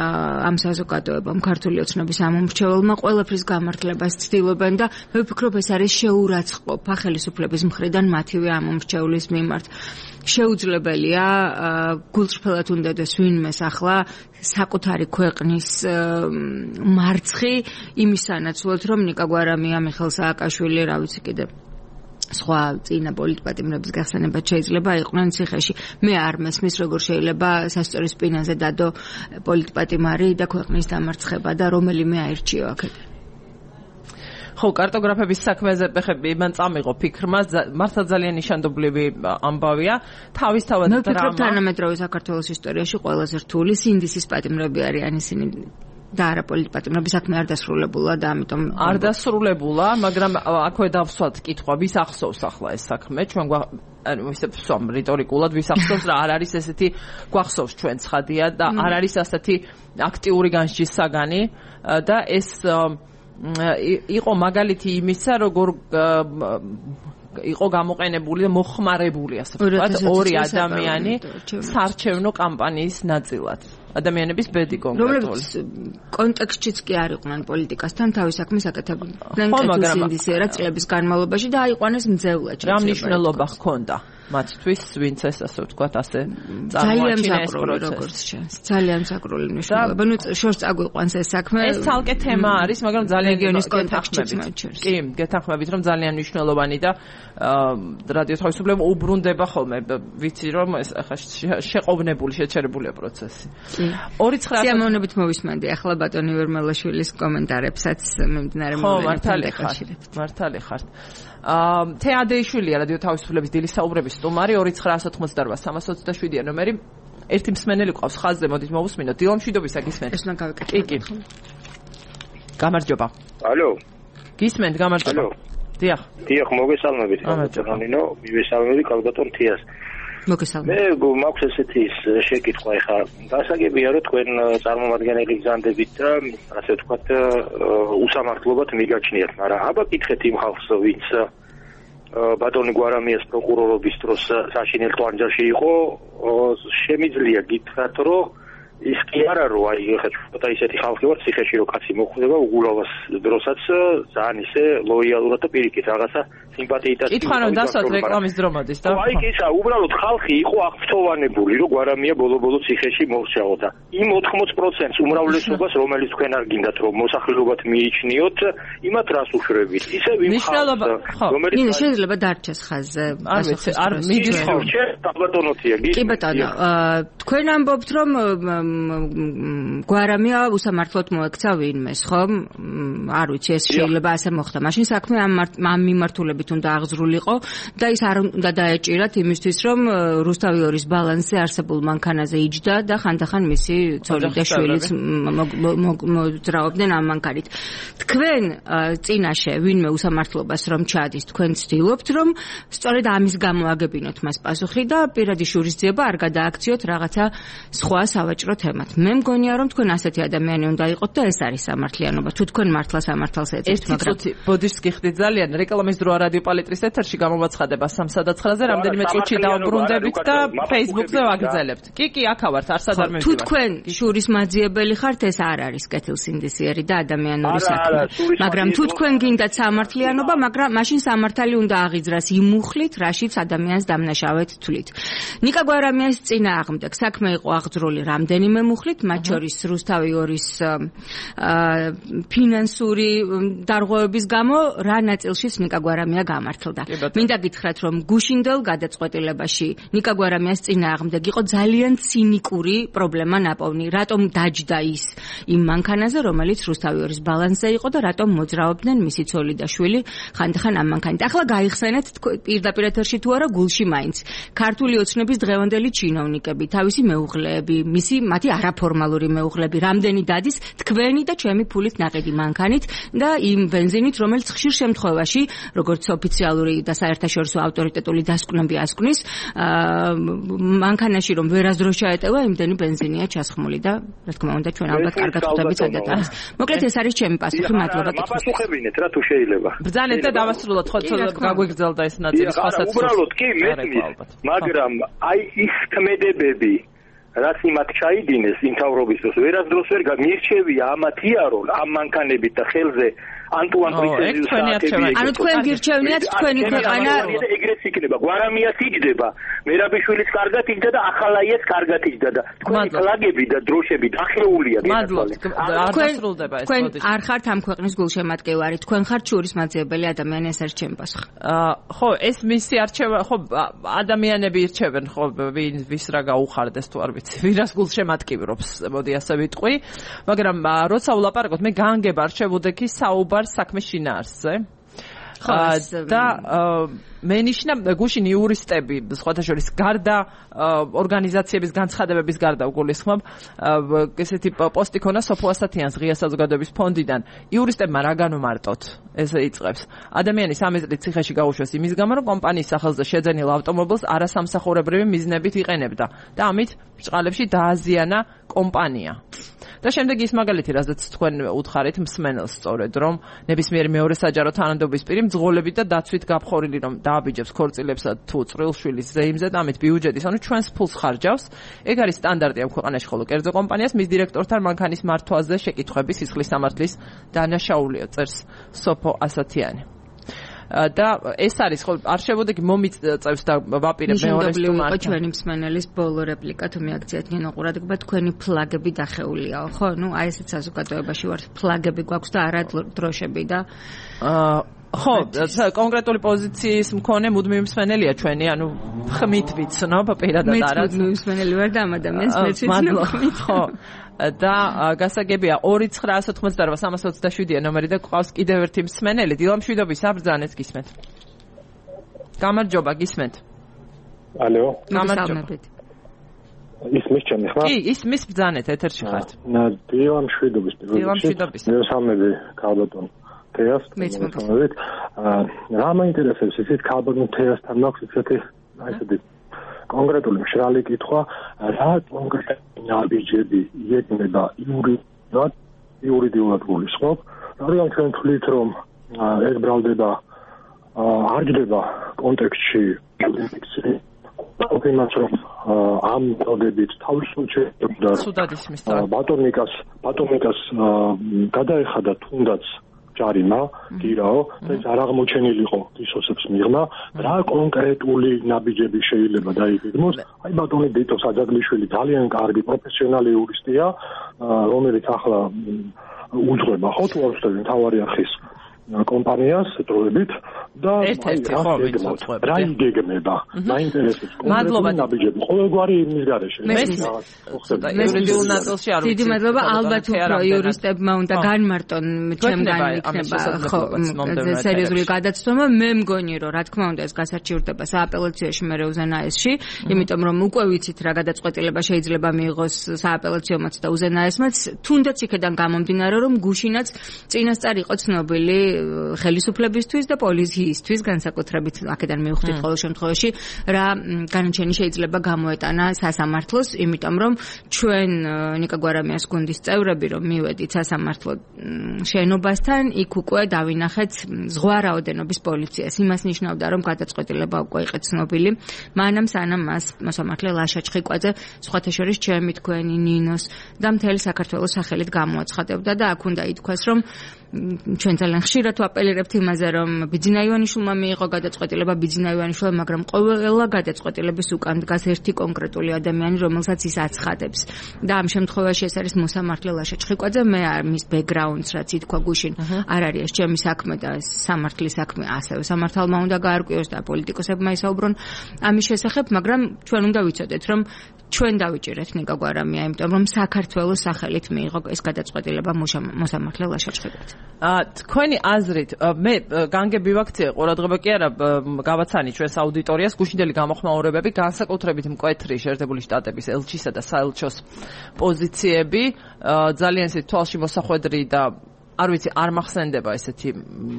ამ საზოგადოებამ ქართული ოცნების ამომრჩეველმა ყველაფრის გამართლებას ცდილობენ და მე ვფიქრობ ეს არის შეურაცხყოფა ხელისუფლების მხრიდან მათივე ამომრჩევლის მიმართ შეუძლებელია გულწრფელად უნდადეს ვინმეს ახლა საკუთარი ქვეყნის მარცხი იმის სანაცვლოდ რომ ნიკა გვარამია მიხეილ სააკაშვილი რა ვიცი კიდე სხვა წინა პოლიტპატიმრების გახსენებაც შეიძლება იყვნენ ციხეში. მე არ მესმის როგორ შეიძლება სასწორი სპინაზე დადო პოლიტპატიმარი და ქვეყნის დამარცხება და რომელიმე აირჩიო აქედან. ხო, კარტოგრაფების საქმეზე მან წამიღო ფიქრმა, მართლა ძალიან ნიშანდობლივი ამბავია. თავისთავად მე ვფიქრობ თანამედროვე საქართველოს ისტორიაში ყველაზე რთული სინდისის პატიმრები არიან ისინი და არა პოლიტპატიმრობის საქმე არ დასრულებულა და ამიტომ არ დასრულებულა, მაგრამ აქვე დავსვათ კითხვა, ვის ახსოვს ახლა ეს საქმე? ჩვენ ისე ვსვამ რიტორიკულად, ვის ახსოვს რა არ არის ესეთი გვახსოვს ჩვენ ცხადია და არ არის ასეთი აქტიური განსჯის საგანი და ეს იყო მაგალითი იმისა, როგორ იყო გამოყენებული და მოხმარებული ასე ვთქვათ ორი ადამიანი საარჩევნო კამპანიის ნაწილად. ადამიანების ბედი კონკრეტული. კონტექსტშიც კი არ იყვნენ პოლიტიკასთან თავის საქმეს აკეთებდნენ კეთილსინდისიერად წლების განმავლობაში და აიყვანეს მძევლად. რა მნიშვნელობა ჰქონდა მათთვის, ვინც ეს ასე ვთქვათ ასე წარმოაჩინა ეს პროცესი. ძალიან საკრული მნიშვნელობა. ნუ შორს წაგვიყვანს ეს საქმე. ეს ცალკე თემა არის, მაგრამ ძალიან რეგიონის კონტექსტშიც მოჩერს. კი, გეთანხმებით რომ ძალიან მნიშვნელოვანი და რადიო თავისუფლება უბრუნდება ხოლმე, ვიცი რომ ეს ახლა შეყოვნებული, შეჩერებულია პროცესი. 2900 სიამოვნებით მოვისმენდი ახლა ბატონი ვერმელაშვილის კომენტარებსაც მიმდინარე მოვლენებთან დაკავშირებით. მართალი ხართ. თეადეიშვილია რადიო თავისუფლების დილის საუბრების სტუმარი 2988-327 ნომერი. ერთი მსმენელი ყავს ხაზზე, მოდით მოვუსმინოთ. დილამშვიდობისა გისმენთ. ეს უნდა გავიკეთოთ. კი. გამარჯობა. ალო. გისმენთ, გამარჯობა. ალო. დიახ. დიახ, მოგესალმებით. ნინო, მივესალმები კალბატონ თიას. მოგესალმებით. მე მაქვს ესეთი შეკითხვა ახლა. გასაგებია რომ თქვენ წარმომადგენელი გზანდებით და ასე ვთქვათ უსამართლობად მიგაჩნიათ, მაგრამ აბა კითხეთ იმ ხალხს, ვინც ბატონი გვარამიას პროკურორობის დროს საშინელ ტვანჯარში იყო, შემიძლია გითხრათ, რომ ის კი არა რომ აი ხა ისეთი ხალხი ვარ ციხეში რომ კაცი მოხვდება უგულავას დროსაც ძალიან ისე ლოიალურად და პირიქით რაღაცა სიმპათიითაც კითხვა რომ დასვათ რეკლამის დრო მოდის და აი ისა უბრალოდ ხალხი იყო აღფრთოვანებული რომ გვარამია ბოლო-ბოლო ციხეში მოვრჩაოდა იმ 80%-ს უმრავლესობას რომელიც თქვენ არ გინდათ რომ მოსახლეობად მიიჩნიოთ იმათ რას უშვებით ისე ვიმ ხალხს რომელიც შეიძლება დარჩეს ხაზზე არ მიდის ხოლმე ბატონოთია კი ბატონო თქვენ ამბობთ რომ გვარამია უსამართლოდ მოექცა ვინმეს, ხო? არ ვიცი, ეს შეიძლება ასე მოხდა. მაშინ საქმე ამ მიმართულებით უნდა აღზრულიყო და ის არ უნდა დაეჭირათ იმისთვის, რომ რუსთავი ორის ბალანსზე არსებულ მანქანაზე იჯდა და ხანდახან მისი ცოლი და შვილიც მოძრაობდნენ ამ მანქანით. თქვენ წინაშე ვინმე უსამართლობას რომ ჩადის, თქვენ ცდილობთ, რომ სწორედ ამის გამო აგებინოთ მას პასუხი და პირადი შურისძიება არ გადააქციოთ რაღაცა სხვა სავაჭრო თემად. მე მგონია რომ თქვენ ასეთი ადამიანი უნდა იყოთ და ეს არის სამართლიანობა. თუ თქვენ მართლა სამართალს ეძებთ, მაგრამ ბოდიშს გიხდით ძალიან რეკლამის დროა რადიო პალიტრის ეთერში გამოაცხადება 3:09-ზე რამდენიმე წუთში დავბრუნდებით და Facebook-ზე ვაგრძელებთ. კი, აქ ვართ, არსად არ მივიდივარ. თუ თქვენ შურის მაძიებელი ხართ, ეს არ არის კეთილსინდისიერი და ადამიანური საქმე. მაგრამ თუ თქვენ გინდათ სამართლიანობა, მაგრამ მაშინ სამართალი უნდა აღიძრას იმ მუხლით, რაშიც ადამიანს დამნაშავედ თვლით. ნიკა გვარამიას წინააღმდეგ საქმე იყო აღძრული რამდენიმე მუხლით, მათ შორის რუსთავი ორის ფინანსური დარღვევების გამო რა ნაწილში ნიკა გვარამია გამართლდა. მინდა გითხრათ, რომ გუშინდელ გადაწყვეტილებაში ნიკა გვარამიას წინააღმდეგ იყო ძალიან ცინიკური პრობლემა ნაპოვნი. რატომ დაჯდა ის იმ მანქანაზე, რომელიც რუსთავი ორის ბალანსზე იყო და რატომ მოძრაობდნენ მისი ცოლი და შვილი ხანდახან ამ მანქანით. ახლა გაიხსენეთ პირდაპირ ეთერში თუ არა გულში მაინც. ქართული ოცნების დღევანდელი ჩინოვნიკები, თავისი მეუღლეები, მათი არაფორმალური მეუღლეები, რამდენი დადის თქვენი და ჩემი ფულით ნაყიდი მანქანით და იმ ბენზინით, რომელიც ხშირ შემთხვევაში, როგორც ოფიციალური და საერთაშორისო ავტორიტეტული დასკვნები ასკვნის, მანქანაში რომ ვერასდროს ჩაეტევა, იმდენი ბენზინია ჩასხმული და რა თქმა უნდა ჩვენ ალბათ კარგად ხვდებით სადაც არის. მოკლედ ეს არის ჩემი პასუხი, მადლობა კითხვის. პასუხებინეთ რა თუ შეიძლება. ბრძანეთ და დავასრულოთ, ხო გაგვიგრძელდა ეს ნაწილი სხვასაც. უბრალოდ კი მეთმის, მაგრამ აი ის თმედებები რაც იმათ ჩაიდინეს იმთავრობის დროს ვერასდროს ვერ გამირჩევია ამათია რომ ამ მანქანებით და ხელზე ანტუან პრინცეზის საათები ანუ თქვენ გირჩევნიათ თქვენი ქვეყანა ეგრეც იქნება გვარამიას იჯდება მერაბიშვილის კარგად იჯდა და ახალაიას კარგად იჯდა და თქვენი კლაგები და დროშები დახეულია თქვენ არ ხართ ამ ქვეყნის გულშემატკივარი თქვენ ხართ შურის მაძიებელი ადამიანი ეს არის ჩემი პასუხი ხო ეს მისი არჩევა ხო ადამიანები ირჩევენ ხო ვის რა გაუხარდეს თუ არ ვიცი ვირას გულშემატკივრობს მოდი ასე ვიტყვი მაგრამ როცა ვლაპარაკობთ მე განგებ არჩევოდექი საუბარ საქმის შინაარსზე და მენიშნა გუშინ იურისტები სხვათა შორის გარდა ორგანიზაციების განცხადებების გარდა უგულისხმობ ესეთი პოსტი ქონა სოფო ასათიანს ღია საზოგადოების ფონდიდან იურისტებმა რა განუმარტოთ ეს იწყებს ადამიანის 13 წლის ციხეში გაუშვეს იმის გამო რომ კომპანიის სახელზე შეძენილ ავტომობილს არასამსახურებრივი მიზნებით იყენებდა და ამით ბრჭყალებში დააზიანა კომპანია და შემდეგ ის მაგალითი რასაც თქვენ უთხარით მსმენელს სწორედ რომ ნებისმიერი მეორე საჯარო თანამდებობის პირი მძღოლებით და დაცვით გაფხორილი რომ დააბიჯებს ქორწილებსა თუ წვრილშვილის ზეიმზე და ამით ბიუჯეტის ანუ ჩვენს ფულს ხარჯავს ეგ არის სტანდარტი ამ ქვეყანაში ხოლო კერძო კომპანიას მის დირექტორთან მანქანის მართვაზე შეკითხვები სისხლის სამართლის დანაშაულიო წერს სოფო ასათიანი და ეს არის ხო არ შევოდი მომიწევს და ვაპირებ მეორეს თუმარ ჩვენი მსმენელის ბოლო რეპლიკა თუ მიაქციათ ნინო ყურადღება თქვენი ფლაგები დახეულიაო ხო ნუ აი ესეც საზოგადოებაში ვართ ფლაგები გვაქვს და არა დროშები და ხო კონკრეტული პოზიციის მქონე მუდმივი მსმენელია ჩვენი ანუ ხმით ვიცნობ პირადად არა მუდმივი მსმენელი ვარ და ამ ადამიანს მეც ვიცნობ ხმით ხო და გასაგებია 2988327-ია ნომერი და ყავს კიდევ ერთი მსმენელი დილამშვიდობის საბრძანეთ გისმენთ გამარჯობა გისმენთ ალო გამარჯობა ისმის ჩემი ხმა კი ისმის ბრძანეთ ეთერში ხართ დილამშვიდობის მე სამები ქალბატონ თეას მომწონებით რა მაინტერესებს ისეთ ქალბატონ თეასთან მაქვს ისეთი აისეთი კონკრეტული მშრალი კითხვა რა კონკრეტული ნაბიჯები იეკნება იურიდიულად გულისხმობ რადგან ჩვენ თვლით რომ ეს ბრალდება არ ჯდება კონტექსტში იმას რომ ამ მოდებით თავისუფლად ბატონიკას გადაეხადა თუნდაც ჯარიმა გირაო და ეს არ აღმოჩენილიყო ისოსებს მიღმა რა კონკრეტული ნაბიჯები შეიძლება დაიგეგმოს აი ბატონი დიტო საძაგლიშვილი ძალიან კარგი პროფესიონალი იურისტია რომელიც ახლა უძღვება ხო თუ არ ვსწრები მთავარი არხის კომპანიას დროებით და რა იგეგმება მაინტერესებს კონკრეტული ნაბიჯები ყოველგვარი იმის გარეშე იურიდიულ ნაწილში არ ვიცი დიდი მადლობა ალბათ უფრო იურისტებმა უნდა განმარტონ ჩემგან იქნება ხო სერიოზული გადაცნობა მე მგონი რომ რა თქმა უნდა ეს გასარჩივრდება სააპელაციოში მე უზენაესში იმიტომ რომ უკვე ვიცით რა გადაწყვეტილება შეიძლება მიიღოს სააპელაციომაც და უზენაესმაც თუნდაც იქიდან გამომდინარე რომ გუშინაც წინასწარ იყო ცნობილი ხელისუფლებისთვის და პოლიციისთვის განსაკუთრებით აქედან მივხვდით ყოველ შემთხვევაში რა განაჩენი შეიძლება გამოეტანა სასამართლოს იმიტომ რომ ჩვენ ნიკა გვარამიას გუნდის წევრები რომ მივედით სასამართლო შენობასთან იქ უკვე დავინახეთ ზღვა რაოდენობის პოლიციას იმას ნიშნავდა რომ გადაწყვეტილება უკვე იყო ცნობილი მანამ სანამ მას მოსამართლე ლაშა ჩხიკვაძე სხვათა შორის ჩემი თქვენი ნინოს და მთელი საქართველოს სახელით გამოაცხადებდა და აქ უნდა ითქვას რომ ჩვენ ძალიან ხშირად ვაპელირებთ იმაზე რომ ბიძინა ივანიშვილმა მიიღო გადაწყვეტილება ბიძინა ივანიშვილმა მაგრამ ყველა გადაწყვეტილების უკან დგას ერთი კონკრეტული ადამიანი რომელსაც ის აცხადებს და ამ შემთხვევაში ეს არის მოსამართლე ლაშა ჩხიკვაძე მე მის ბექგრაუნდს რაც ითქვა გუშინ არ არის ეს ჩემი საქმე და სამართლის საქმე ასევე სამართალმა უნდა გაარკვიოს და პოლიტიკოსებმა ისაუბრონ ამის შესახებ მაგრამ ჩვენ უნდა ვიცოდეთ რომ ჩვენ დავიჭირეთ ნიკა გვარამია იმიტომ რომ საქართველოს სახელით მიიღო ეს გადაწყვეტილება მოსამართლე ლაშა ჩხიკვაძე თქვენი აზრით მე განგები ვაქცია ყურადღება კი არა გავაცანი ჩვენს აუდიტორიას გუშინდელი გამოხმაურებები განსაკუთრებით მკვეთრი შეერთებული შტატების ელჩისა და საელჩოს პოზიციები ძალიან ისეთი თვალში მოსახვედრი და არ ვიცი არ მახსენდება ესეთი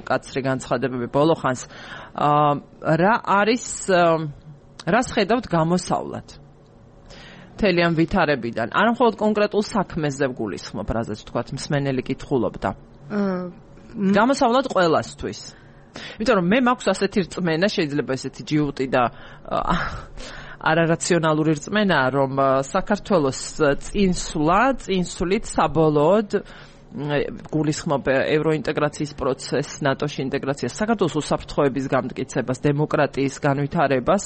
მკაცრი განცხადებები ბოლო ხანს რა არის რას ხედავთ გამოსავლად მთელი ამ ვითარებიდან არა მხოლოდ კონკრეტულ საქმეზე გულისხმობ რაზეც თქვათ მსმენელი კითხულობდა გამოსავლად ყველასთვის იმიტომ რომ მე მაქვს ასეთი რწმენა შეიძლება ესეთი ჯიუტი და არარაციონალური რწმენა რომ საქართველოს წინსვლით საბოლოოდ გულისხმობ ევროინტეგრაციის პროცესს ნატოში ინტეგრაციას საქართველოს უსაფრთხოების გამტკიცებას დემოკრატიის განვითარებას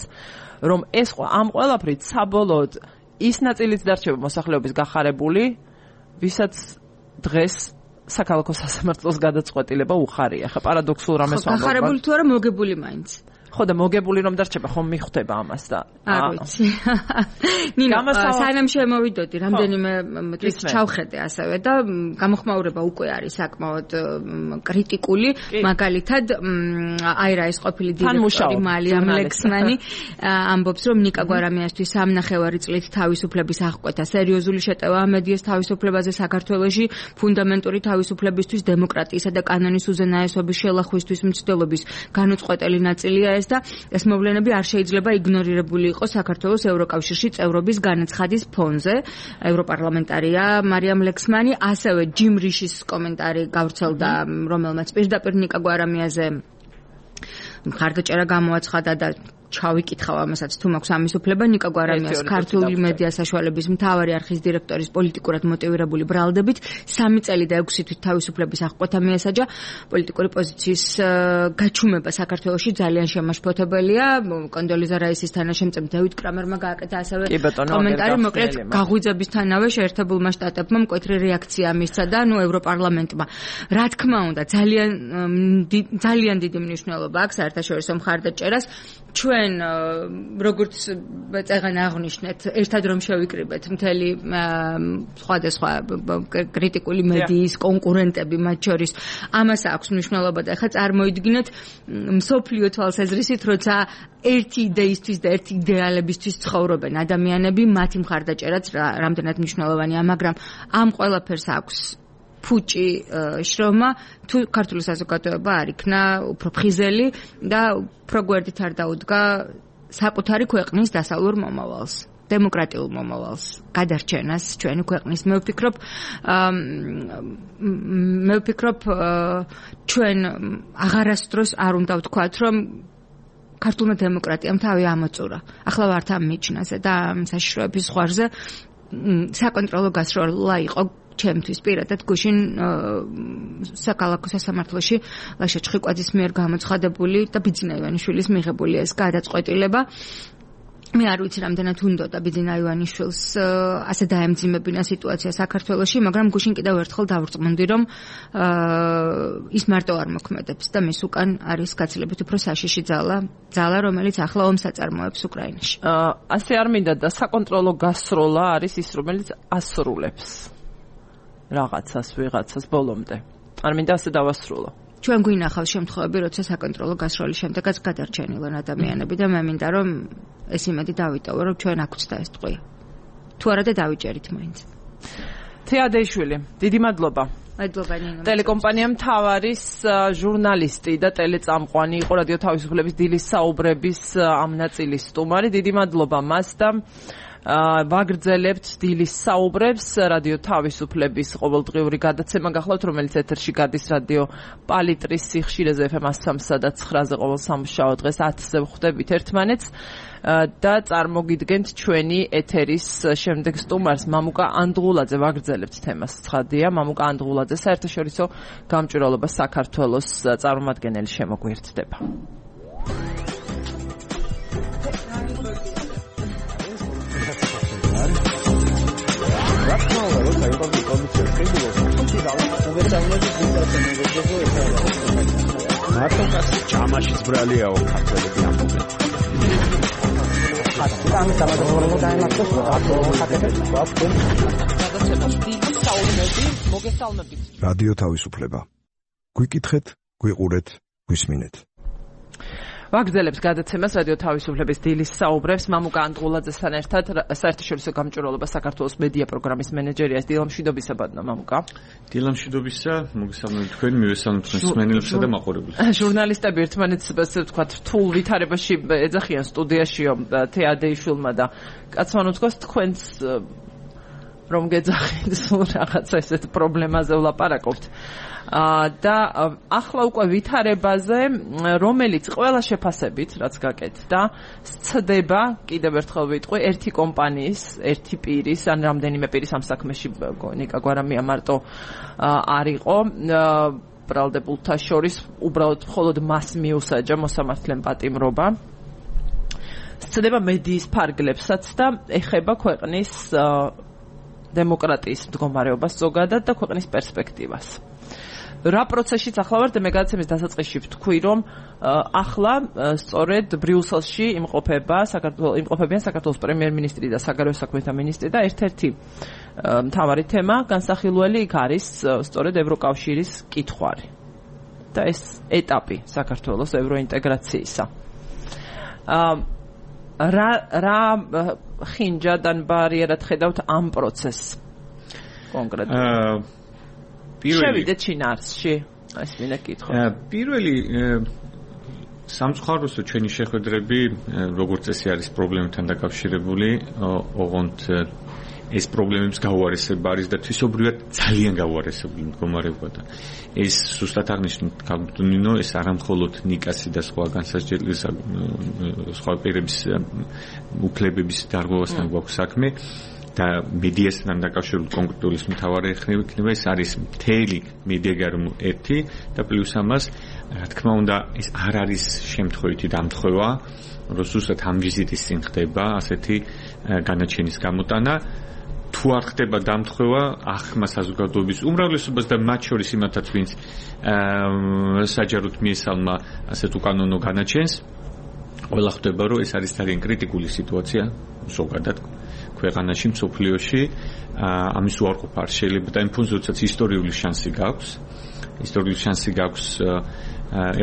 რომ ეს ამ ყველაფრით საბოლოოდ ის ნაწილიც დარჩება მოსახლეობის გახარებული ვისაც დღეს საქალაქო სასამართლოს გადაწყვეტილება უხარია. ხა პარადოქსულ რამეს ვამბობ. გახარებული თუ არა მოგებული მაინც. ხო და მოგებული რომ დარჩება ხომ მიხვდება ამას და არ ვიცი. ნინო, სანამ შემოვიდოდი, რამდენიმე დღეს ჩავხედე ასევე და გამოხმაურება უკვე არის საკმაოდ კრიტიკული, მაგალითად აი რა ის ყოფილი დირექტორი მალიამ ლექსმანი ამბობს რომ ნიკა გვარამიასთვის 3.5 წლით თავისუფლების აღკვეთა სერიოზული შეტევა მედიას თავისუფლებაზე საქართველოში ფუნდამენტური თავისუფლებისთვის დემოკრატიისა და კანონის უზენაესობის შელახვისთვის მცდელობის განუწყვეტელი ნაწილია ეს და ეს მოვლენები არ შეიძლება იგნორირებული იყოს საქართველოს ევროკავშირში წევრობის განაცხადის ფონზე. ევროპარლამენტარია მარიამ ლექსმანი, ასევე ჯიმ რიშის კომენტარი გავრცელდა, რომელმაც პირდაპირ ნიკა გვარამიაზე მხარდაჭერა გამოაცხადა და ჩავიკითხავ ამასაც თუ მაქვს ამის უფლება. ნიკა გვარამიას ქართული მედია საშუალების მთავარი არხის დირექტორის პოლიტიკურად მოტივირებული ბრალდებით 3 წელი და 6 თვით თავისუფლების აღკვეთა მიესაჯა. პოლიტიკური პოზიციის გაჩუმება საქართველოში ძალიან შემაშფოთებელია. კონდოლიზა რაისის თანაშემწე დევიდ კრამერმა გააკეთა ასევე კომენტარი, მოკლედ გაღვიძებისთანავე შეერთებულმა შტატებმა მკვეთრი რეაქცია მისცა და ევროპარლამენტმა. რა თქმა უნდა, ძალიან დიდი მნიშვნელობა აქვს საერთაშორისო მხარდაჭერას. ჩვენ როგორც წეგან აღნიშნეთ, ერთად რომ შევიკრიბეთ მთელი სხვადასხვა კრიტიკული მედიის კონკურენტები მათ შორის, ამას აქვს მნიშვნელობა და ახლა წარმოიდგინეთ მსოფლიო თვალსაზრისით, როცა ერთი იდეისთვის და ერთი იდეალებისთვის ცხოვრობენ ადამიანები, მათი მხარდაჭერაც რამდენად მნიშვნელოვანია, მაგრამ ამ ყველაფერს აქვს ფუჭი შრომა, თუ ქართული საზოგადოება არ იქნა უფრო ფხიზელი და უფრო გვერდით არ დაუდგა საკუთარი ქვეყნის დასავლურ მომავალს, დემოკრატიულ მომავალს, გადარჩენას ჩვენი ქვეყნის. მე ვფიქრობ, ჩვენ აღარასდროს არ უნდა ვთქვათ, რომ ქართულმა დემოკრატიამ თავი ამოწურა. ახლა ვართ ამ მიჩნაზე და ამ საშიშროების ზღვარზე საკონტროლო გასროლა იყო ჩემთვის პირადად გუშინ საქალაქო სასამართლოში ლაშა ჩხიკვაძის მიერ გამოცხადებული და ბიძინა ივანიშვილის მიღებული ეს გადაწყვეტილება. მე არ ვიცი რამდენად უნდოდა ბიძინა ივანიშვილს ასე დაემძიმებინა სიტუაცია საქართველოში, მაგრამ გუშინ კიდევ ერთხელ დავრწმუნდი, რომ ის მარტო არ მოქმედებს და მის უკან არის გაცილებით უფრო საშიში ძალა, რომელიც ახლა ომს აწარმოებს უკრაინაში. ასე არ მინდა და საკონტროლო გასროლა არის ის, რომელიც ასრულებს რაღაცას ვიღაცას ბოლომდე. არ მინდა ასე დავასრულო. ჩვენ გვინახავს შემთხვევები, როცა საკონტროლო გასროლის შემდეგაც გადარჩენილან ადამიანები და მე მინდა რომ ეს იმედი დავიტოვო, რომ ჩვენ აგვცდა ეს ტყვია. თუ არა და დავიჭერით მაინც. თეა დეიშვილი, დიდი მადლობა. მადლობა ნინო. ტელეკომპანია მთავარის ჟურნალისტი და ტელეწამყვანი იყო რადიო თავისუფლების დილის საუბრების ამ ნაწილის სტუმარი. დიდი მადლობა მას და ვაგრძელებთ დილის საუბრებს რადიო თავისუფლების ყოველდღიური გადაცემა გახლავთ, რომელიც ეთერში გადის რადიო პალიტრის სიხშირეზე FM 103 და 9-ზე ყოველ სამშაბათ დღეს 10-ზე ვხვდებით ერთმანეთს და წარმოგიდგენთ ჩვენი ეთერის შემდეგ სტუმარს მამუკა ანდღულაძე. ვაგრძელებთ თემას ცხადია, მამუკა ანდღულაძე საერთაშორისო გამჭვირვალობა საქართველოს წარმომადგენელი შემოგვიერთდება. ჯამაშიც ბრალიაო ქართველები ამბობენ. რადიო თავისუფლება. გვიკითხეთ, გვიყურეთ, გვისმინეთ. ვაგრძელებს გადაცემას რადიო თავისუფლების დილის საუბრებს მამუკა ანდღულაძესთან ერთად საერთაშორისო გამჭვირვალობა საქართველოს მედია პროგრამის მენეჯერია. დილამშვიდობისა ბატონო მამუკა. დილამშვიდობისა, მოგესალმებით თქვენ, მივესალმებით თქვენს მსმენელებსა და მაყურებელს. ჟურნალისტები ერთმანეთს ასე ვთქვათ რთულ ვითარებაში ეძახიან სტუდიაშიო თეა დეიშვილმა და კაცმა უთქვას თქვენს რომ გეძახით სულ რაღაცა ესეთ პრობლემაზე ვლაპარაკობთ. და ახლა უკვე ვითარებაზე, რომელიც ყველა შეფასებით, რაც გაკეთდა, სცდება, კიდევ ერთხელ ვიტყვი, ერთი კომპანიის, ერთი პირის, ან რამდენიმე პირის ამ საქმეში ნიკა გვარამია მარტო არ იყო, ბრალდებულთა შორის, უბრალოდ მხოლოდ მას მიუსაჯა მოსამართლემ პატიმრობა. სცდება მედიის ფარგლებსაც და ეხება ქვეყნის დემოკრატიის მდგომარეობას ზოგადად და ქვეყნის პერსპექტივას. რა პროცესშიც ახლა ვართ და მე გადაცემის დასაწყისში ვთქვი რომ ახლა სწორედ ბრიუსელში იმყოფებიან საქართველოს პრემიერ-მინისტრი და საგარეო საქმეთა მინისტრი და ერთ-ერთი მთავარი თემა განსახილველი იქ არის სწორედ ევროკავშირის კითხვარი და ეს ეტაპი საქართველოს ევროინტეგრაციისა. რა ხინჯადან ბარიერად ხედავთ ამ პროცესს კონკრეტულად? შევიდეთ შინაარსში, ეს მინდა კითხო. პირველი სამწუხაროსო ჩვენი შეხვედრები როგორც წესი არის პრობლემებთან დაკავშირებული, ოღონდ ეს პრობლემებს გაუარესება არის და თვისობრივად ძალიან გაუარესებული მდგომარეობა და ეს სუსტად აღნიშნეთ კალდუნინო, ეს არა მხოლოდ ნიკასი და სხვა განსაზღვრელი სხვა პირების უფლებების დარღვევასთან გვაქვს საქმე და მედიასთან დაკავშირებული კონკრეტული მთავარი ხდება ეს არის მთელი მედიაგარმო ერთი და პლუს ამას რა თქმა უნდა ეს არ არის შემთხვევითი დამთხევა რომ სუსტად ამ ვიზიტის წინ ხდება ასეთი განაჩენის გამოტანა თუ არ ხდება დამთხევა ახმა საზოგადოების უმრავლესობას და მათ შორის იმათაც ვინც საჯაროდ მიესალმა ასეთ უკანონო განაჩენს ყველა ხდება რომ ეს არის ძალიან კრიტიკული სიტუაცია ზოგადად ქვეყანაში მსოფლიოში ამის უარყოფა არ შეიძლება და იმ ფონზე როდესაც ისტორიული შანსი გაქვს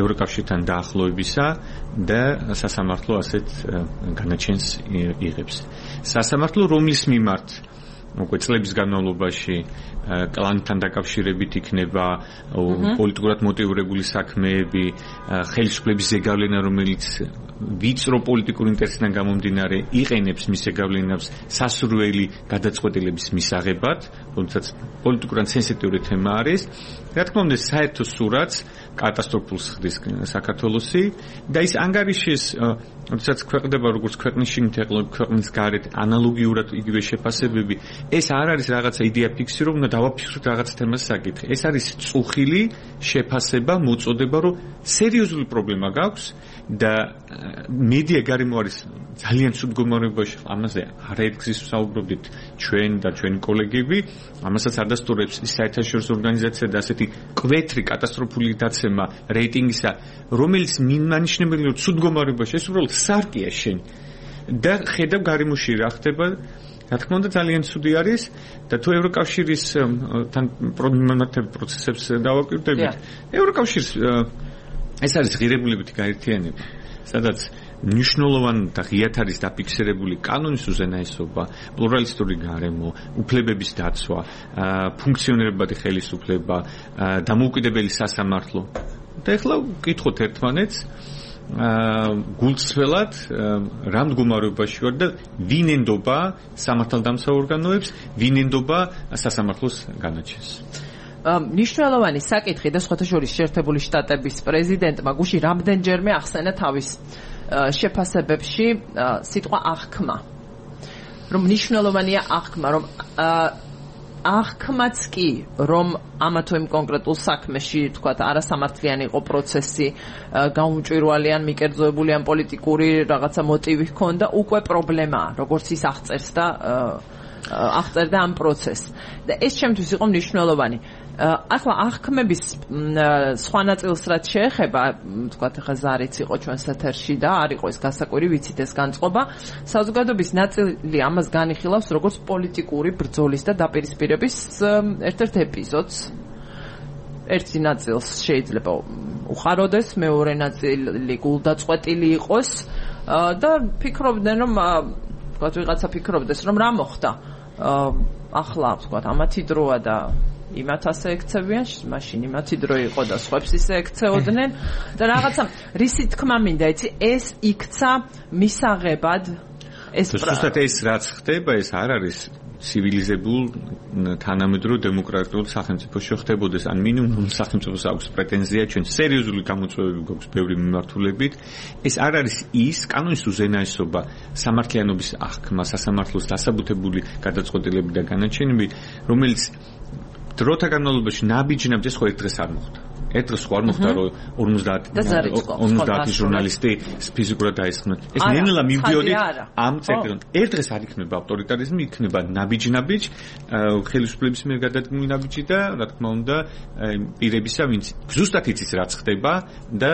ევროკავშირთან დაახლოებისა და სასამართლო ასეთ განაჩენს იღებს სასამართლო რომლის მიმართ უკვე წლების განმავლობაში კლანთან დაკავშირებით იქნება პოლიტიკურად მოტივირებული საქმეები, ხელისუფლების ზეგავლენა, რომელიც ვიწრო პოლიტიკური ინტერესიდან გამომდინარე იყენებს მის ზეგავლენას სასურველი გადაწყვეტილების მისაღებად, თუმცა პოლიტიკურად სენსიტიური თემა არის. რა თქმა უნდა, საერთო სურათს კატასტროფულს ხდის საქართველოსი და ის ანგარიშის როდესაც ქვეყნდება როგორც ქვეყნის შიგნით ქვეყნის გარეთ ანალოგიურად იგივე შეფასებები ეს არ არის რაღაცა იდეა ფიქსი რომ უნდა დავაფიქსოთ რაღაც თემას საკითხი ეს არის წუხილი შეფასება მოწოდება რომ სერიოზული პრობლემა გაქვს და მედია გარემო არის ძალიან ცუდ მდგომარეობაში ამაზე არაერთგზის ვსაუბრობდით ჩვენ და ჩვენი კოლეგები ამასაც ადასტურებს ის საერთაშორისო ორგანიზაცია და ასეთი კვეთრი კატასტროფული დაცემა რეიტინგისა რომელიც მიმანიშნებელი რომ ცუდ მდგომარეობაში ეს უბრალოდ სარკია შენ და ხედავ გარემოში რა ხდება რა თქმა უნდა ძალიან ცუდი არის და თუ ევროკავშირის თან პროცესებს დავაკვირდებით ევროკავშირს ეს არის ღირებულებითი გაერთიანება სადაც მნიშვნელოვანი და ღიად არის დაფიქსირებული კანონის უზენაესობა, პლურალისტური გარემო, უფლებების დაცვა, ფუნქციონირებადი ხელისუფლება, დამოუკიდებელი სასამართლო. და ეხლა ვკითხოთ ერთმანეთს გულწრფელად რა მდგომარეობაში ვარ და ვინ ენდობა სამართალდამცავ ორგანოებს, ვინ ენდობა სასამართლოს განაჩენს. მნიშვნელოვანი საკითხი და სხვათა შორის შეერთებული შტატების პრეზიდენტმა გუშინ რამდენჯერმე ახსენა თავის შეფასებებში სიტყვა აღქმა რომ მნიშვნელოვანია აღქმა რომ აღქმაც კი რომ ამა თუ იმ კონკრეტულ საქმეში თქვათ არასამართლიანი იყო პროცესი გაუმჭვირვალი ან მიკერძოებული ან პოლიტიკური რაღაცა მოტივი ჰქონდა უკვე პრობლემაა როგორც ის აღწერს და აღწერდა ამ პროცესს და ეს ჩემთვის იყო მნიშვნელოვანი ახლა აღქმების სხვა ნაწილს რაც შეეხება თქვათ ახლა ზარიც იყო ჩვენს ეთერში და არ იყო ეს გასაკვირი ვიცით ეს განწყობა საზოგადოების ნაწილი ამას განიხილავს როგორც პოლიტიკური ბრძოლის და დაპირისპირების ერთ-ერთ ეპიზოდს ერთი ნაწილს შეიძლება უხაროდეს მეორე ნაწილი გულდაწყვეტილი იყოს და ფიქრობდნენ რომ თქვათ ვიღაცა ფიქრობდეს რომ რა მოხდა ახლა თქვათ ამათი დროა და იმათ ასე ექცევიან, მაშინ იმათი დრო იყო და სხვებს ისე ექცეოდნენ და რაღაცა რისი თქმა მინდა, იცი, ეს იქცა მისაღებად ეს ზუსტად ეს რაც ხდება, ეს არ არის ცივილიზებულ თანამედროვე დემოკრატიულ სახელმწიფოში ხდებოდეს, ან მინიმუმ სახელმწიფოს აქვს პრეტენზია ჩვენ სერიოზული გამოწვევები გვაქვს ბევრი მიმართულებით. ეს არ არის ის კანონის უზენაესობა, სამართლიანობის აღქმა, სასამართლოს დასაბუთებული გადაწყვეტილები და განაჩენები, რომელიც დროთა განმავლობაში ნაბიჯნაბ ეს ხო ერთ დღეს არ მოხდა. ერთ დღეს ხوار მოხდა რომ 50 ჟურნალისტი ფიზიკურად დაისხნენ. ეს ნელა მივდიოდი ამ წერტილთან. ერთ დღეს არ იქნება ავტორიტარიზმი, იქნება ნაბიჯ-ნაბიჯ, ხელისუფლების მიერ გადადგმული ნაბიჯი და რა თქმა უნდა პირებისა, ვინც ზუსტად იცის რაც ხდება და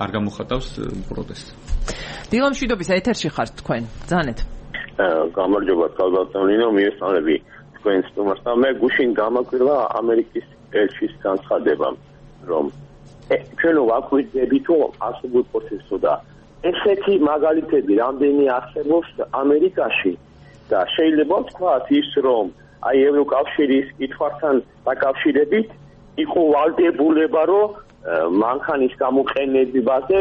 არ გამოხატავს პროტესტს. დილამ შვიდობის ეთერში ხართ თქვენ. ბრძანეთ. გამარჯობა, თავდაცვნილო მიესალმები თქვენ სტუმარს და მე გუშინ გამაკვირვა ამერიკის ელჩის განცხადება, რომ ჩვენ ვაკვირდებით რომ არსებულ პროცესსო და ესეთი მაგალითები რამდენი არსებობს ამერიკაში და შეიძლება ვთქვათ ის რომ აი ევროკავშირის კითხვასთან დაკავშირებით იყო ვალდებულება რომ მანქანის გამოყენებაზე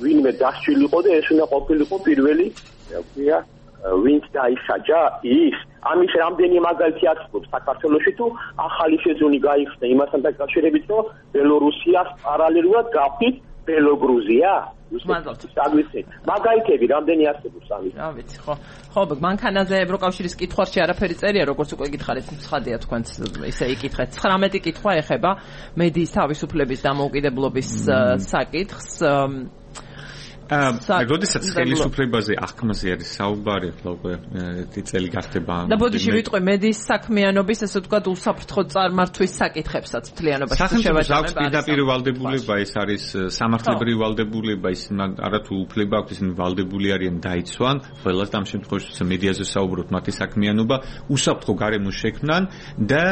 ვინმე დასჭილიყო და ეს უნდა ყოფილიყო პირველი ვთქვია ვინც დაისაჯა ის ამის რამდენი მაგალითი არსებობს საქართველოში თუ ახალი სეზონი გაიხსნა იმასთან დაკავშირებით რომ ბელორუსიას პარალელურად გავხდით ბელოგრუზია მაგალითები რამდენი არსებობს ამის რა ვიცი ხო მანქანაზე ევროკავშირის კითხვაში არაფერი წერია როგორც უკვე გითხარით ცხადია თქვენც ისე იკითხეთ 19 კითხვა ეხება მედიის თავისუფლების დამოუკიდებლობის საკითხს როდესაც ხელისუფლებაზე აღქმაზე არის საუბარი, უკვე წელი გახდება. და ბოდიში ვიტყვი მედიის საქმიანობის, ესე ვთქვათ, უსაფრთხო წარმართვის საკითხებსაც მთლიანობაში შევაჯამებ. პირდაპირ ვალდებულება ეს არის სამართლებრივი ვალდებულება, ის არათუ უფლება აქვს, ისინი ვალდებული არიან დაიცვან, ყველას და ამ შემთხვევაში მედიაზე საუბრობთ, მათი საქმიანობა უსაფრთხო გარემოს შექმნან და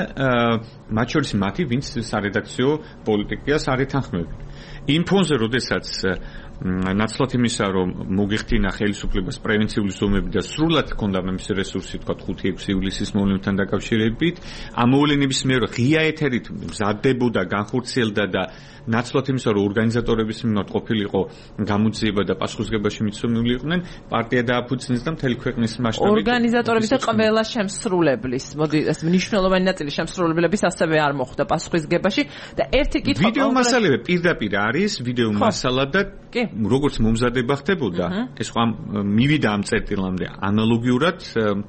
მათ შორის მათი, ვინც სარედაქციო პოლიტიკას არ ეთანხმებენ. იმ ფონზე, როდესაც ნაცვლად იმისა, რომ მოგიხდინა ხელისუფლებას პრევენციული ზომები და სრულად ჰქონდა მის რესურსი, თქვა 5-6 ივლისის მოვლენებთან დაკავშირებით, ამ მოვლენების მიერ ღია ეთერით მზადდებოდა, განხორციელდა და ნაცვლად იმისა, რომ ორგანიზატორების მიმართ ყოფილიყო გამოძიება და პასუხისმგებაში მიცემული იყვნენ, პარტია დააფუძნეს და მთელი ქვეყნის მასშტაბით ორგანიზატორების და ყველა შემსრულებლის, მოდი ეს მნიშვნელოვანი ნაწილი შემსრულებლების ასევე არ მოხვდა პასუხისმგებაში და ერთი კითხვა ვიდეო მასალები პირდაპირ არის, ვიდეო მასალა და როგორც მომზადება ხდებოდა, ეს ხომ მივიდა ამ წერტილამდე ანალოგიურად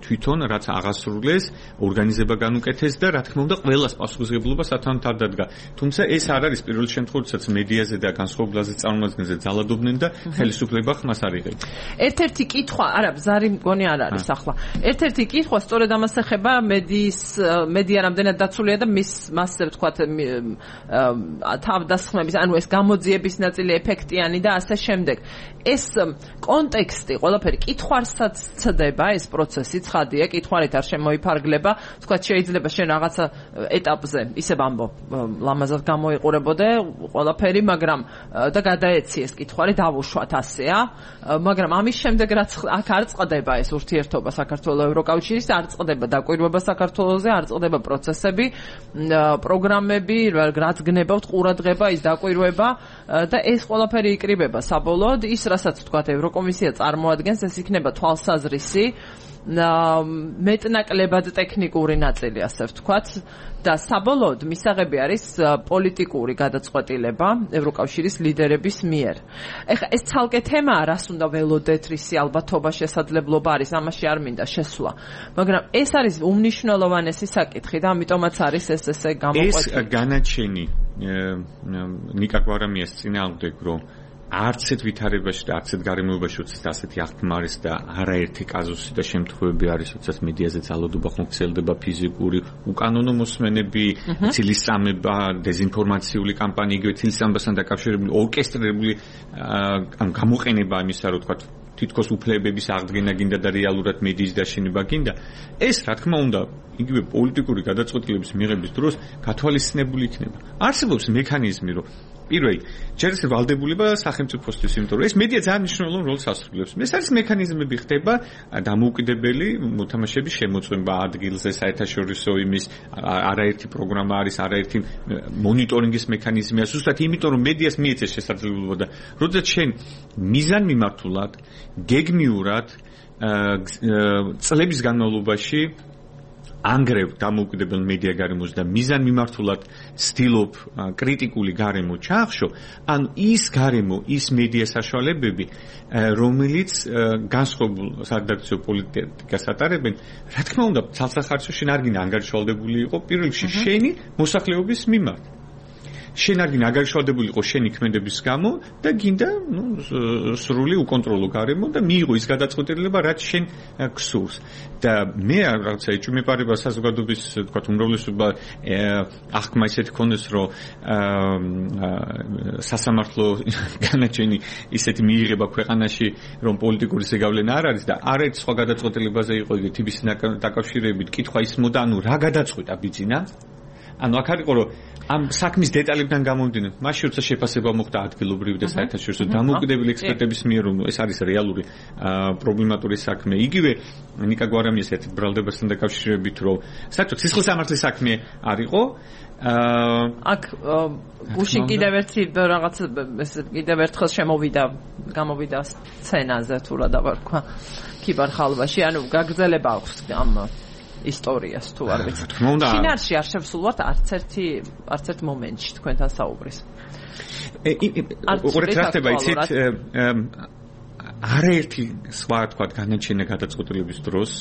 თვითონ რაც აღასრულეს, ორგანიზება განუკეთეს და რა თქმა უნდა ყველას პასუხისმგებლობა სათანადო არ დადგა. თუმცა ეს არ არის პირველ შემთხვევაში მედიაზე და განსხვავებაზე წარმოადგენზე ძალადობდნენ და ხელისუფლება ხმას არ იღებდა. ერთ-ერთი კითხვა, არა, ზარი მგონი არ არის ახლა. ერთ-ერთი კითხვა სწორედ ამას ეხება მედია რამდენად დაცულია და მასზე ვთქვათ თავდასხმების, ანუ ეს გამოძიების ნაწილი ეფექტიანი და ასე შემდეგ. ეს კონტექსტი, ყველაფერი კითხვარსაც ცდება ეს პროცესი, ცხადია, კითხვარით არ შემოიფარგლება, ვთქვათ შეიძლება შენ რაღაცა ეტაპზე ისე ვამბობ, ლამაზად გამოიყურებოდე ყველაფერი, მაგრამ და გადაეციეს კითხვარი, დავუშვათ ასეა, მაგრამ ამის შემდეგ რაც აქ არ წყდება ეს ურთიერთობა საქართველოს ევროკავშირის, არ წყდება დაკვირვება საქართველოსზე, არ წყდება პროცესები, პროგრამები, რაც გნებავთ ყურადღება, ის დაკვირვება და ეს ყველაფერი იკრიბება საბოლოოდ ის რასაც ვთქვათ ევროკომისია წარმოადგენს ეს იქნება თვალსაზრისი მეტნაკლებად ტექნიკური ნაწილი ასე ვთქვათ და საბოლოოდ მისაღები არის პოლიტიკური გადაწყვეტილება ევროკავშირის ლიდერების მიერ. ეხლა ეს ცალკე თემაა, რას უნდა ველოდეთ, რისი ალბათობა შესაძლებლობა არის, ამაში არ მინდა შესვლა. მაგრამ ეს არის უმნიშვნელოვანესი საკითხი და ამიტომაც არის ეს ესე გამოყვეტილი. ეს განაჩენი ნიკა გვარამიას წინააღმდეგ რომ არც ერთ ვითარებაში და არც ერთ გარემოებაში უცებ ასეთი აღქმა არის და არაერთი კაზუსი და შემთხვევები არის, როდესაც მედიაზე ძალადობა ხმოქცელდება, ფიზიკური, უკანონო მოსმენები, ცილისწამება, დეზინფორმაციული კამპანია, იგივე ცილისწამებასთან დაკავშირებული ორკესტრირებული გამოყენება იმისა, რომ თქვა თითქოს უფლებების აღდგენა გინდა და რეალურად მედიის დაშენება გინდა. ეს რა თქმა უნდა, იგივე პოლიტიკური გადაწყვეტილების მიღების დროს გათვალისწინებული იქნება. არსებობს მექანიზმი, რომ პირველი, ჯერ ეს ვალდებულება სახელმწიფოსთვის, იმიტომ რომ ეს მედია ძალიან მნიშვნელოვან როლს ასრულებს. ეს არის მექანიზმები ხდება დამოუკიდებელი მოთამაშეების შემოწმება ადგილზე, საერთაშორისო იმის არაერთი პროგრამა არის, არაერთი მონიტორინგის მექანიზმია, ზუსტად იმიტომ რომ მედიას მიეცეს შესაძლებლობა და როდესაც შენ მიზანმიმართულად, გეგმიურად წლების განმავლობაში ანგრევ დამოუკიდებელ მედია გარემოს და მიზანმიმართულად ცდილობ კრიტიკული გარემო ჩაახშო, ან ის გარემო, ის მედია საშუალებები, რომელიც განსხვავებულ სარედაქციო პოლიტიკას ატარებენ, რა თქმა უნდა, ცალსახარისო შენ არ გინდა ანგარიშვალდებული იყო პირველ რიგში შენი მოსახლეობის მიმართ. შენ არ გინდა აგარშვალდებული იყო შენი ქმედების გამო და გინდა სრული უკონტროლო გარემო და მიიღო ის გადაწყვეტილება რაც შენ გსურს და მე რაღაცა ეჭვმეპარება საზოგადოების თქვა უმრავლესობა აღქმა ისეთი ქონდეს რომ სასამართლო განაჩენი ისეთი მიიღება ქვეყანაში რომ პოლიტიკური ზეგავლენა არ არის და არაერთ სხვა გადაწყვეტილებაზე იყო იგი თბის დაკავშირებით კითხვა ისმოდა ანუ რა გადაწყვეტა ბიძინა ანუ აქ არის რომ ამ საქმის დეტალებიდან გამომდინარე, მაშინ როცა შეფასება მოხდა ადგილობრივი და საერთაშორისო დამოუკიდებელი ექსპერტების მიერ, რომ ეს არის რეალური პრობლემატური საქმე. იგივე ნიკა გვარამიას ერთ ბრალდებასთან დაკავშირებით, რომ საერთოდ სისხლისამართლის საქმე არ იყო. აქ გუშინ კიდევ ერთი რაღაც კიდევ ერთხელ გამოვიდა სცენაზე თუ რა დავარქვა ქიბარ ხალვაში, ანუ გაგრძელება აქვს ამ ისტორიას თუ არ ვიცი. შინაარსში არ შევსულვართ არც ერთ მომენტში თქვენთან საუბრის. უბრალოდ რა ხდება იცით არაერთი სხვა თქვა განაჩენა გადაწყვეტილების დროს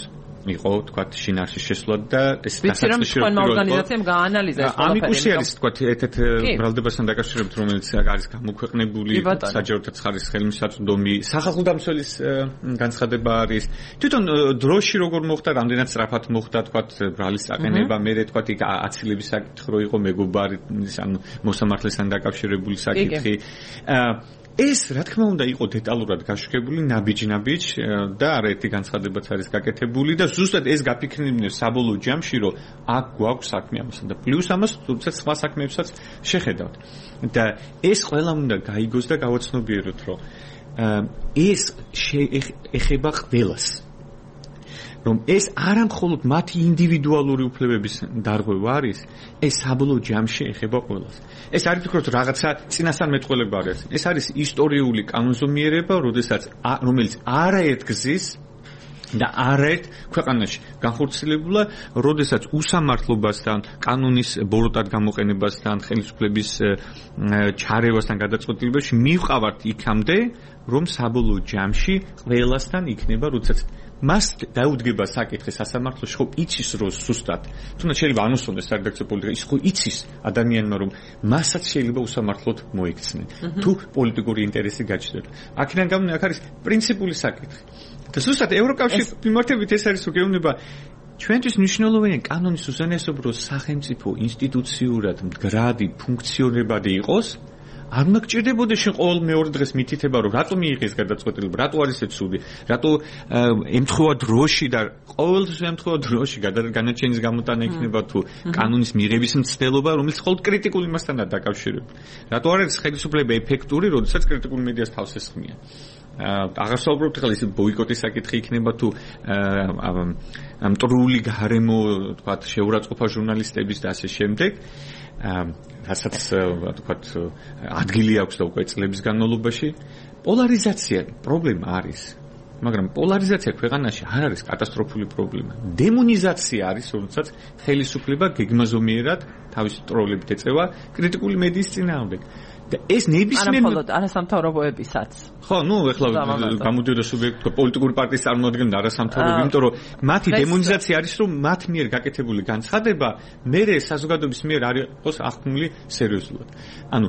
იყო თქვა შინაარსში შესვლა და ეს დასაწყისი რომ ორგანიზაციამ გაანალიზა ეს ყველაფერი. ამიკუსი არის თქვა ერთ-ერთ ბრალდებასთან დაკავშირებით რომელიც არის გამოქვეყნებული საჯაროთა ცხარის ხელმისაწვდომი სახალხო დამცველის განცხადება არის თვითონ დროში როგორ მოხდა რამდენად სწრაფად მოხდა თქვა ბრალის აყენება მე თქვა იქ აცილების საკითხი რო იყო მეგობარი ანუ მოსამართლესთან დაკავშირებული საკითხი ეს რა თქმა უნდა იყო დეტალურად გაშუქებული ნაბიჯ და არაერთი განცხადებაც არის გაკეთებული და ზუსტად ეს გაფიქრებინებს საბოლოო ჯამში რომ აქ გვაქვს საქმე ამასთან და პლუს ამას თუმცა სხვა საქმეებსაც შეხედავთ და ეს ყველა უნდა გაიგოს და გავაცნობიეროთ რომ ეს ეხება ყველას რომ ეს არა მხოლოდ მათი ინდივიდუალური უფლებების დარღვევა არის, ეს საბოლოო ჯამში ეხება ყველას. ეს არის ვფიქრობ რაღაცა წინასწარმეტყველება არის. ეს არის ისტორიული კანონზომიერება, რომელიც არაერთ გზის და არაერთ ქვეყანაში განხორციელებულა, როდესაც უსამართლობასთან, კანონის ბოროტად გამოყენებასთან, ხელისუფლების ჩარევასთან გადაწყვეტილებაში მივყავართ იქამდე, რომ საბოლოო ჯამში ყველასთან იქნება, როდესაც მას დაუდგება საკითხი სასამართლოში, ხო იცის რომ სუსტად. თუნდაც შეიძლება ანუსონდეს სარედაქციო პოლიტიკა, ის ხო იცის ადამიანმა რომ მასაც შეიძლება უსამართლოდ მოიქცნენ. თუ პოლიტიკური ინტერესი გაჩნდება. აქედან გამომდინარე, აქ არის პრინციპული საკითხი. და სუსტად ევროკავშირის მიმართებით ეს არის უგეუბნება ჩვენთვის მნიშვნელოვანია კანონის უზენაესობა სახელმწიფო ინსტიტუციურად მდგრადი ფუნქციონირებადი იყოს. არ უნდა გჭირდებოდა შენ ყოველ მეორე დღეს მითითება რომ რატო მიიღეს გადაწყვეტილება, რატო არის ეს ცუდი, რატო ემთხვევა დროში და ყოველთვის ემთხვევა დროში განაჩენის გამოტანა იქნება თუ კანონის მიღების მცდელობა, რომელიც მხოლოდ კრიტიკულ იმასთანაა დაკავშირებული. რატო არ არის ხელისუფლება ეფექტური, როდესაც კრიტიკულ მედიას თავს ესხმიან. აღარ საუბრობთ ახლა ის ბოიკოტის საკითხი იქნება თუ მტრული გარემო თქვა შეურაცხყოფა ჟურნალისტების და ასე შემდეგ. რასაც თქვათ ადგილი აქვს და უკვე წლების განმავლობაში პოლარიზაცია პრობლემა არის მაგრამ პოლარიზაცია ქვეყანაში არ არის კატასტროფული პრობლემა დემონიზაცია არის როდესაც ხელისუფლება გეგმაზომიერად თავისი ტროლებით ეწევა კრიტიკული მედიის წინააღმდეგ და ეს ნებისმიერ არა მხოლოდ არასამთავრობოებისაც ხო ნუ ეხლა გამოდიოდა სუბიექტი პოლიტიკური პარტიის წარმოადგენდა არასამთავრობო იმიტომ რომ მათი დემონიზაცია არის რომ მათ მიერ გაკეთებული განცხადება მერე საზოგადოების მიერ არ იყოს აღქმული სერიოზულად ანუ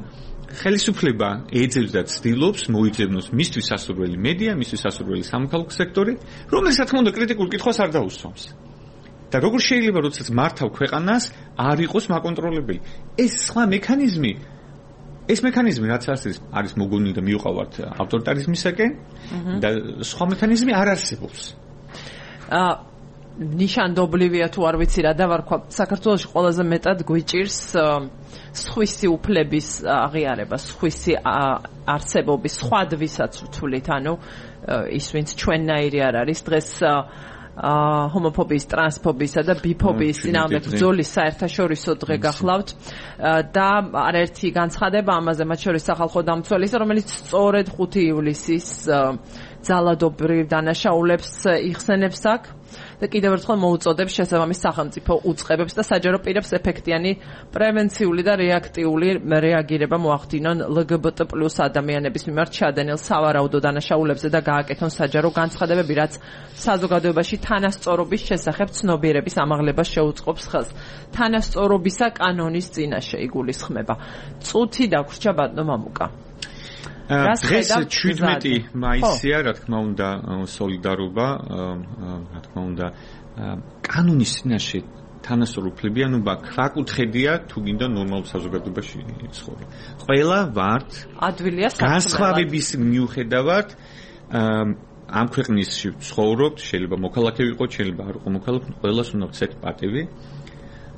ხელისუფლება ეძებს და ცდილობს მოიძებნოს მისთვის სასურველი მედია, მისთვის სასურველი სამოქალაქო სექტორი, რომელიც რა თქმა უნდა კრიტიკულ კითხვას არ დაუსვამს. და როგორ შეიძლება, როდესაც მართავ ქვეყანას, არ იყოს მაკონტროლებელი. ეს სხვა მექანიზმი, რაც არის მოგონილი და მიუყავართ ავტორიტარიზმისაკენ და სხვა მექანიზმი არ არსებობს. ნიშანდობლივია თუ არ ვიცი რა დავარქვა საქართველოში ყველაზე მეტად გვიჭირს სხვისი უფლების აღიარება, სხვისი არსებობის, სხვადვისაც ვთვლით, ანუ ის ვინც ჩვენნაირი არ არის დღეს ჰომოფობიის, ტრანსფობიისა და ბიფობიის წინააღმდეგ ბრძოლის საერთაშორისო დღე გახლავთ და არაერთი განცხადება ამაზე მათ შორის სახალხო დამცველისა, რომელიც სწორედ 5 ივლისის ძალადობრივ დანაშაულებს იხსენებს აქ და კიდევ ერთხელ მოუწოდებს შესაბამის სახელმწიფო უწყებებს და საჯარო პირებს ეფექტიანი პრევენციული და რეაქტიული რეაგირება მოახდინონ LGBT+ ადამიანების მიმართ ჩადენილ სავარაუდო დანაშაულებზე და გააკეთონ საჯარო განცხადებები, რაც საზოგადოებაში თანასწორობის შესახებ ცნობიერების ამაღლებას შეუწყობს ხელს. თანასწორობისა კანონის წინაშე იგულისხმება. წუთი დაგვრჩა ბატონო მამუკა. დღეს 17 მაისია, რა თქმა უნდა, სოლიდარობა, რა თქმა უნდა, კანონის წინაშე თანასწორუფლებიანობა ქვაკუთხედია თუ გინდა ნორმალურ საზოგადოებაში ცხოვრება. ყველა ვართ ადვილია განსხვავების მიუხედავად ამ ქვეყნისში ცხოვრობთ, შეიძლება მოქალაქე ვიყოთ, შეიძლება არ ვიყო მოქალაქე, ყველას უნდა ვცეთ პატივი.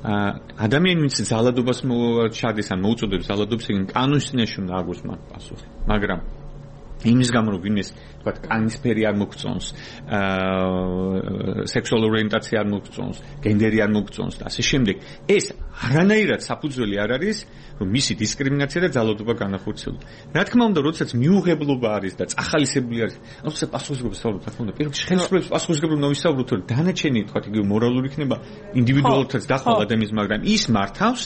ადამიანი ვინც ზალადობას ჩადის ან მოუწოდებს ზალადობს, იგი კანონის წინაშე უნდა აგოს მათ პასუხი. მაგრამ იმის გამო რომ ვინმეს თქვათ კანისფერი არ მოგწონს, სექსუალური ორიენტაცია არ მოგწონს, გენდერი არ მოგწონს და ასე შემდეგ, ეს არანაირად საფუძველი არ არის, რომ მისი დისკრიმინაცია და ძალადობა განახორციელოს. რა თქმა უნდა, როდესაც მიუღებლობა არის და წახალისებული არის, ანუ პასუხისმგებლობა საუბრობთ, რა თქმა უნდა, პირველ ხელისუფლების პასუხისმგებლობა უნდა ვისაუბროთ, რომ დანარჩენი თქვათ იგივე მორალური იქნება ინდივიდუალურადაც დახვალ ადამიანის, მაგრამ ის მართავს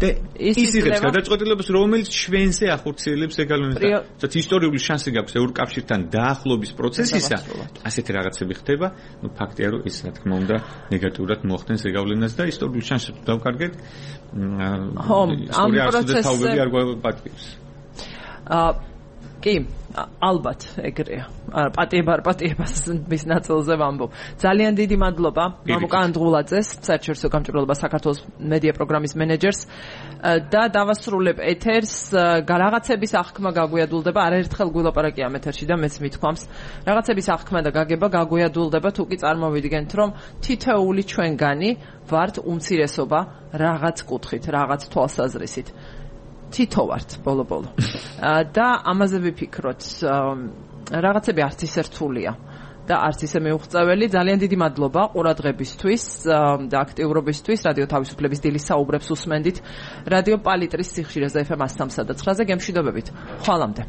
და ის იღებს გადაწყვეტილებას, რომელიც ჩვენზე ახორციელებს ეგალონს. თუმცა ისტორიული შანსი გაქვს ევროკავშირთან დაახლოების პროცესისა, ასეთი რაღაცები ხდება, ну ფაქტია რომ ეს რა თქმა უნდა ნეგატიურად მოახდენს ეგავლენას და ისტორიული შანსი თუ დავკარგეთ, ამ პროცესზე არ გვაპატიებს. კი, ალბათ ეგრეა. პატიებას მის ნაწილზე ვამბობ. ძალიან დიდი მადლობა მამუკა ანდღულაძეს, საერთაშორისო გამჭვირვალობა საქართველოს მედია პროგრამის მენეჯერს და დავასრულებ ეთერს. რაღაცების აღქმა გაგვიადულდება, არაერთხელ გვილაპარაკია ამ ეთერში და მეც მithქვამს. რაღაცების აღქმა და გაგება გაგვიადულდება, თუ კი წარმოვიდგენთ, რომ თითოეული ჩვენგანი ვართ უმცირესობა რაღაც კუთხით, რაღაც თვალსაზრისით. თითო ვართ ბოლო-ბოლო. და ამაზე ვიფიქროთ, რაღაცები არც ისე რთულია და არც ისე მეუღწეველი. ძალიან დიდი მადლობა ყურადღებისთვის და აქტიურობისთვის. რადიო თავისუფლების დილის საუბრებს უსმენდით. რადიო პალიტრის სიხშირეზე FM 103.9-ზე გემშვიდობებით. ხვალამდე.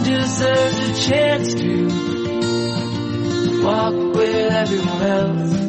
Deserves a chance to walk with everyone else.